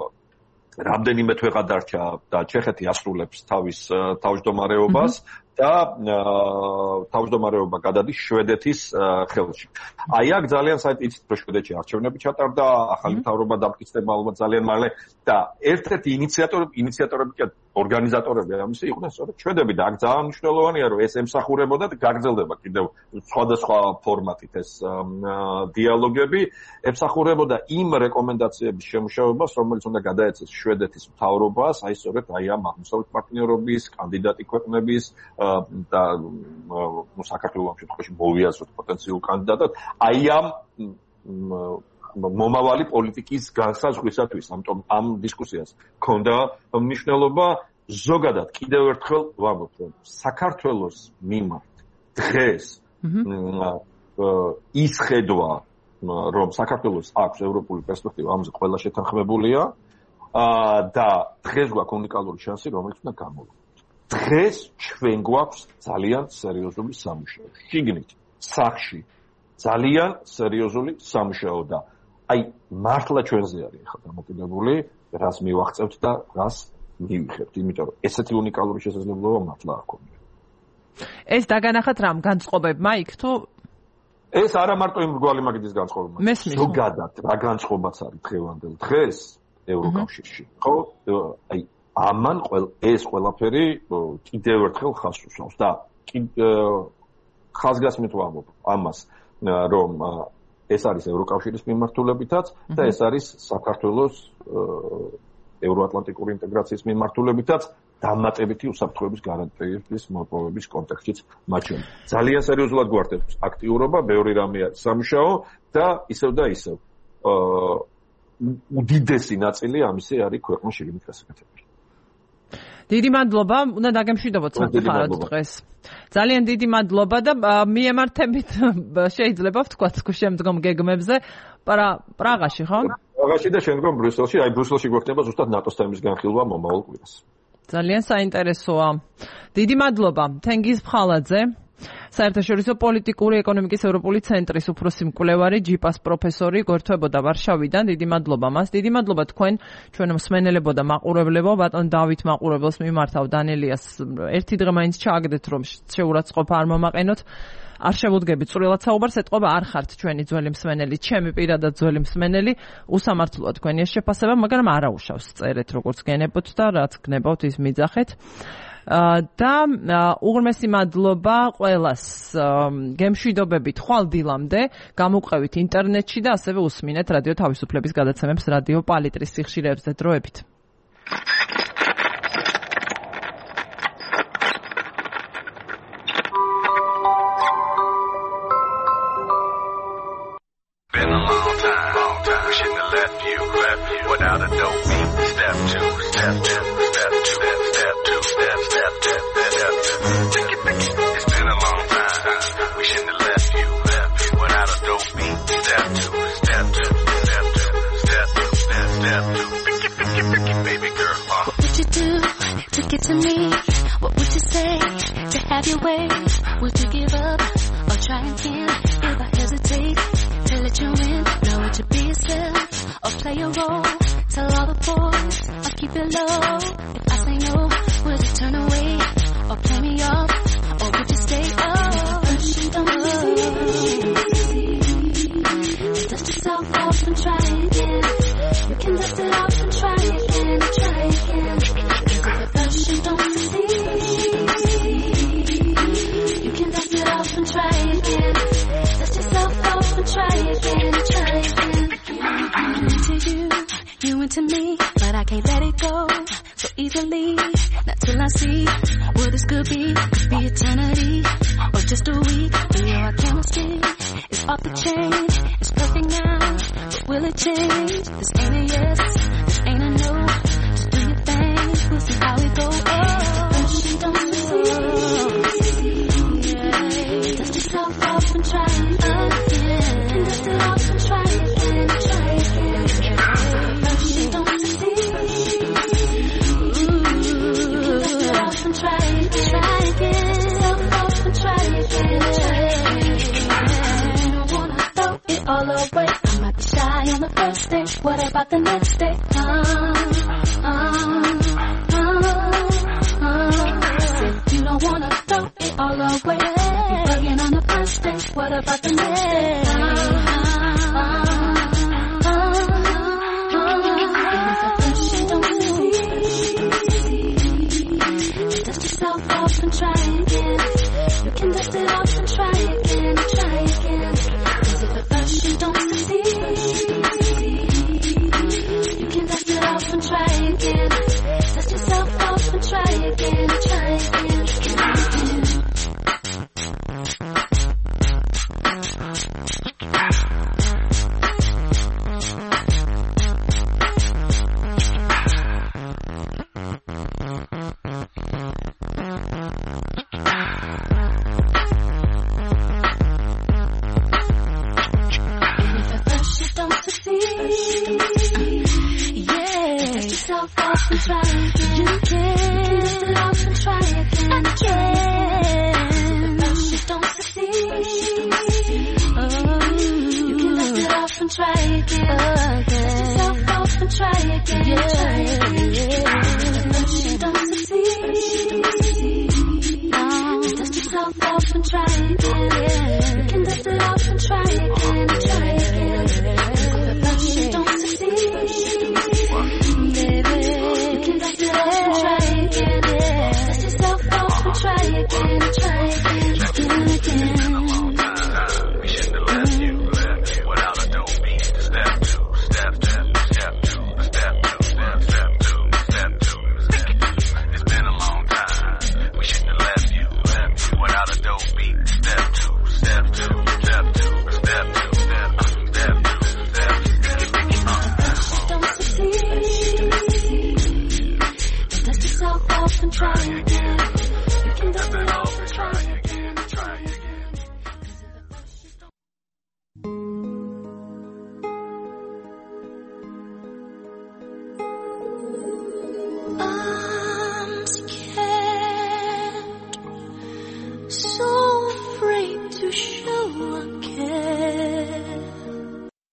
Speaker 3: რამდენიმე თვეღა დარჩა და ჩეხეთი ასრულებს თავის თავმჯდომარეობას და თავმჯდომარეობა გადადის შვედეთის ხელში. აი აქ ძალიან საინტერესო რომ შვედეთში არჩევნები ჩატარდა, ახალი მთავრობა დამტკიცდება ალბათ ძალიან მალე და ერთ-ერთი ინიციატორები კი ორგანიზატორები ამისი იყვნენ სწორედ შვედები და აქ ძალიან მნიშვნელოვანია რომ ეს ემსახურებოდა და გაგრძელდება კიდევ სხვადასხვა ფორმატით ეს დიალოგები, ემსახურებოდა იმ რეკომენდაციების შემუშავებას, რომელიც უნდა გადაეცეს შვედეთის მთავრობას, აი სწორედ ამ აღმოსავლეთ პარტნიორობის კანდიდატი ქვეყნების და საქართველოს ამ შემთხვევაში მოვიაზროთ პოტენციურ კანდიდატად, აი ამ მომავალი პოლიტიკის განსაზღვრისათვის, ამიტომ ამ დისკუსიას ქონდა მნიშვნელობა. ზოგადად კიდევ ერთხელ ვამბობ, რომ საქართველოს მიმართ დღეს ის ხედვა, რომ საქართველოს აქვს ევროპული პერსპექტივა, ამაზე ყველა შეთანხმებულია და დღეს გვაქვს უნიკალური შანსი, რომელიც უნდა გამოვიდეთ. დღეს ჩვენ გვაქვს ძალიან სერიოზული სამუშაო. შიგნით, სახში ძალიან სერიოზული სამუშაო და აი მართლა ჩვენზე არის ახლა დამოკიდებული, რას მივახცევთ და რას მივიხებთ, იმიტომ რომ ესეთი უნიკალური შესაძლებლობა მართლა არ ქონია.
Speaker 1: ეს დაგანახათ რამ განწყობებმა იქ თუ
Speaker 3: ეს არა მარტო იმ მრგვალი მაგიდის განწყობებმა. ზოგადად რა განწყობაც არის დღევანდელ დღეს ევროკავშირში. ხო? აი ამან ეს ყველაფერი კიდევ ერთხელ ხაზს უსვამს და ხაზგასმით ვამბობ ამას, რომ ეს არის ევროკავშირის მიმართულებითაც და ეს არის საქართველოს ევროატლანტიკური ინტეგრაციის მიმართულებითაც დამატებითი უსაფრთხოების გარანტიების მოპოვების კონტექსტშიც მათ შორის. ძალიან სერიოზულად გვართებს აქტიურობა, ბევრი რამეა სამუშაო და ისევ უდიდესი ნაწილი ამისი არის ქვეყნის შიგნით გასაკეთებელი.
Speaker 1: დიდი მადლობა, უნდა დაგემშვიდობოთ საფრთხარად დღეს. ძალიან დიდი მადლობა და მიემართებით შეიძლება ვთქვათ შემდგომ გეგმებზე პრაღაში, ხო?
Speaker 3: პრაღაში და შემდგომ ბრიუსელში, ბრიუსელში გვექნება ზუსტად ნატოს თემის განხილვა მომავალ კვირას.
Speaker 1: ძალიან საინტერესოა. დიდი მადლობა თენგიზ ფხალაძე, საერთაშორისო პოლიტიკური ეკონომიკის ევროპული ცენტრის უფროსი მკვლევარი, ჯიპას პროფესორი, გვერდთვებოდა ვარშავიდან. დიდი მადლობა მას. დიდი მადლობა თქვენ, ჩვენ მსმენელებო და მაყურებლებო, ბატონ დავით მაყურებელს მიმართავ დანელიას. ერთი დღე მაინც ჩააგდეთ, რომ შეურაცხყოფა არ მომაყენოთ. არ შევუდგებით წვრილად საუბარს, ეთყობა არ ხართ ჩვენი ძველი მსმენელი, ჩემი პირადად ძველი მსმენელი, უსამართლოა თქვენი ეს შეფასება, მაგრამ არაუშავს წერეთ როგორც გენებოთ და რაც გნებავთ ის მიძახეთ. და უღრმესი მადლობა ყველას. გემშვიდობებით ხვალ დილამდე, გამოვყევით ინტერნეტში და ასევე უსმინეთ რადიო თავისუფლების გადაცემებს რადიო პალიტრის სიხშირეებზე. დროებით.
Speaker 4: Without a dope beat, step two, step two, step two, step two, step two. It's been a long time. We shouldn't have left you. Without a dope beat, step two, step two, step two, step two, step two. Picky, baby girl.
Speaker 5: What would you do to get to me? What would you say to have your way? Would you give up or try again? If I hesitate to let you in, know what to be yourself or play a role. Tell all the boys I'll keep it low. If I say no, would you turn away or play me off? Or would you stay up? Dust yourself off and try again. You can dust it off and try again, try again. Cause if at first you don't succeed, you can dust it off and try again. Dust yourself off and try again, try again. You into me, but I can't let it go so easily. Not till I see what this could be eternity or just a week. You know our chemistry is off the chain. It's perfect now, but will it change? This ain't a yes, this ain't a no. Just do your thing, we'll see how it goes. Oh, she don't succeed. Yeah. Dust yourself off and try again. And dust it off and try again, try again. Try again, self off and try again, try again. You don't wanna throw it all away. I might be shy on the first day. What about the next day? Said you don't wanna throw it all away. You're bugging on the first day. What about the next day? And try again. You can dust it off and try again, try again. Cause if at first you don't succeed, you can dust it off and try again. Dust yourself off and try again, try again, try again. Try again. You can dust it off and try again, again. But you don't succeed. You can dust it off and try again. Dust yourself off and try again, try again.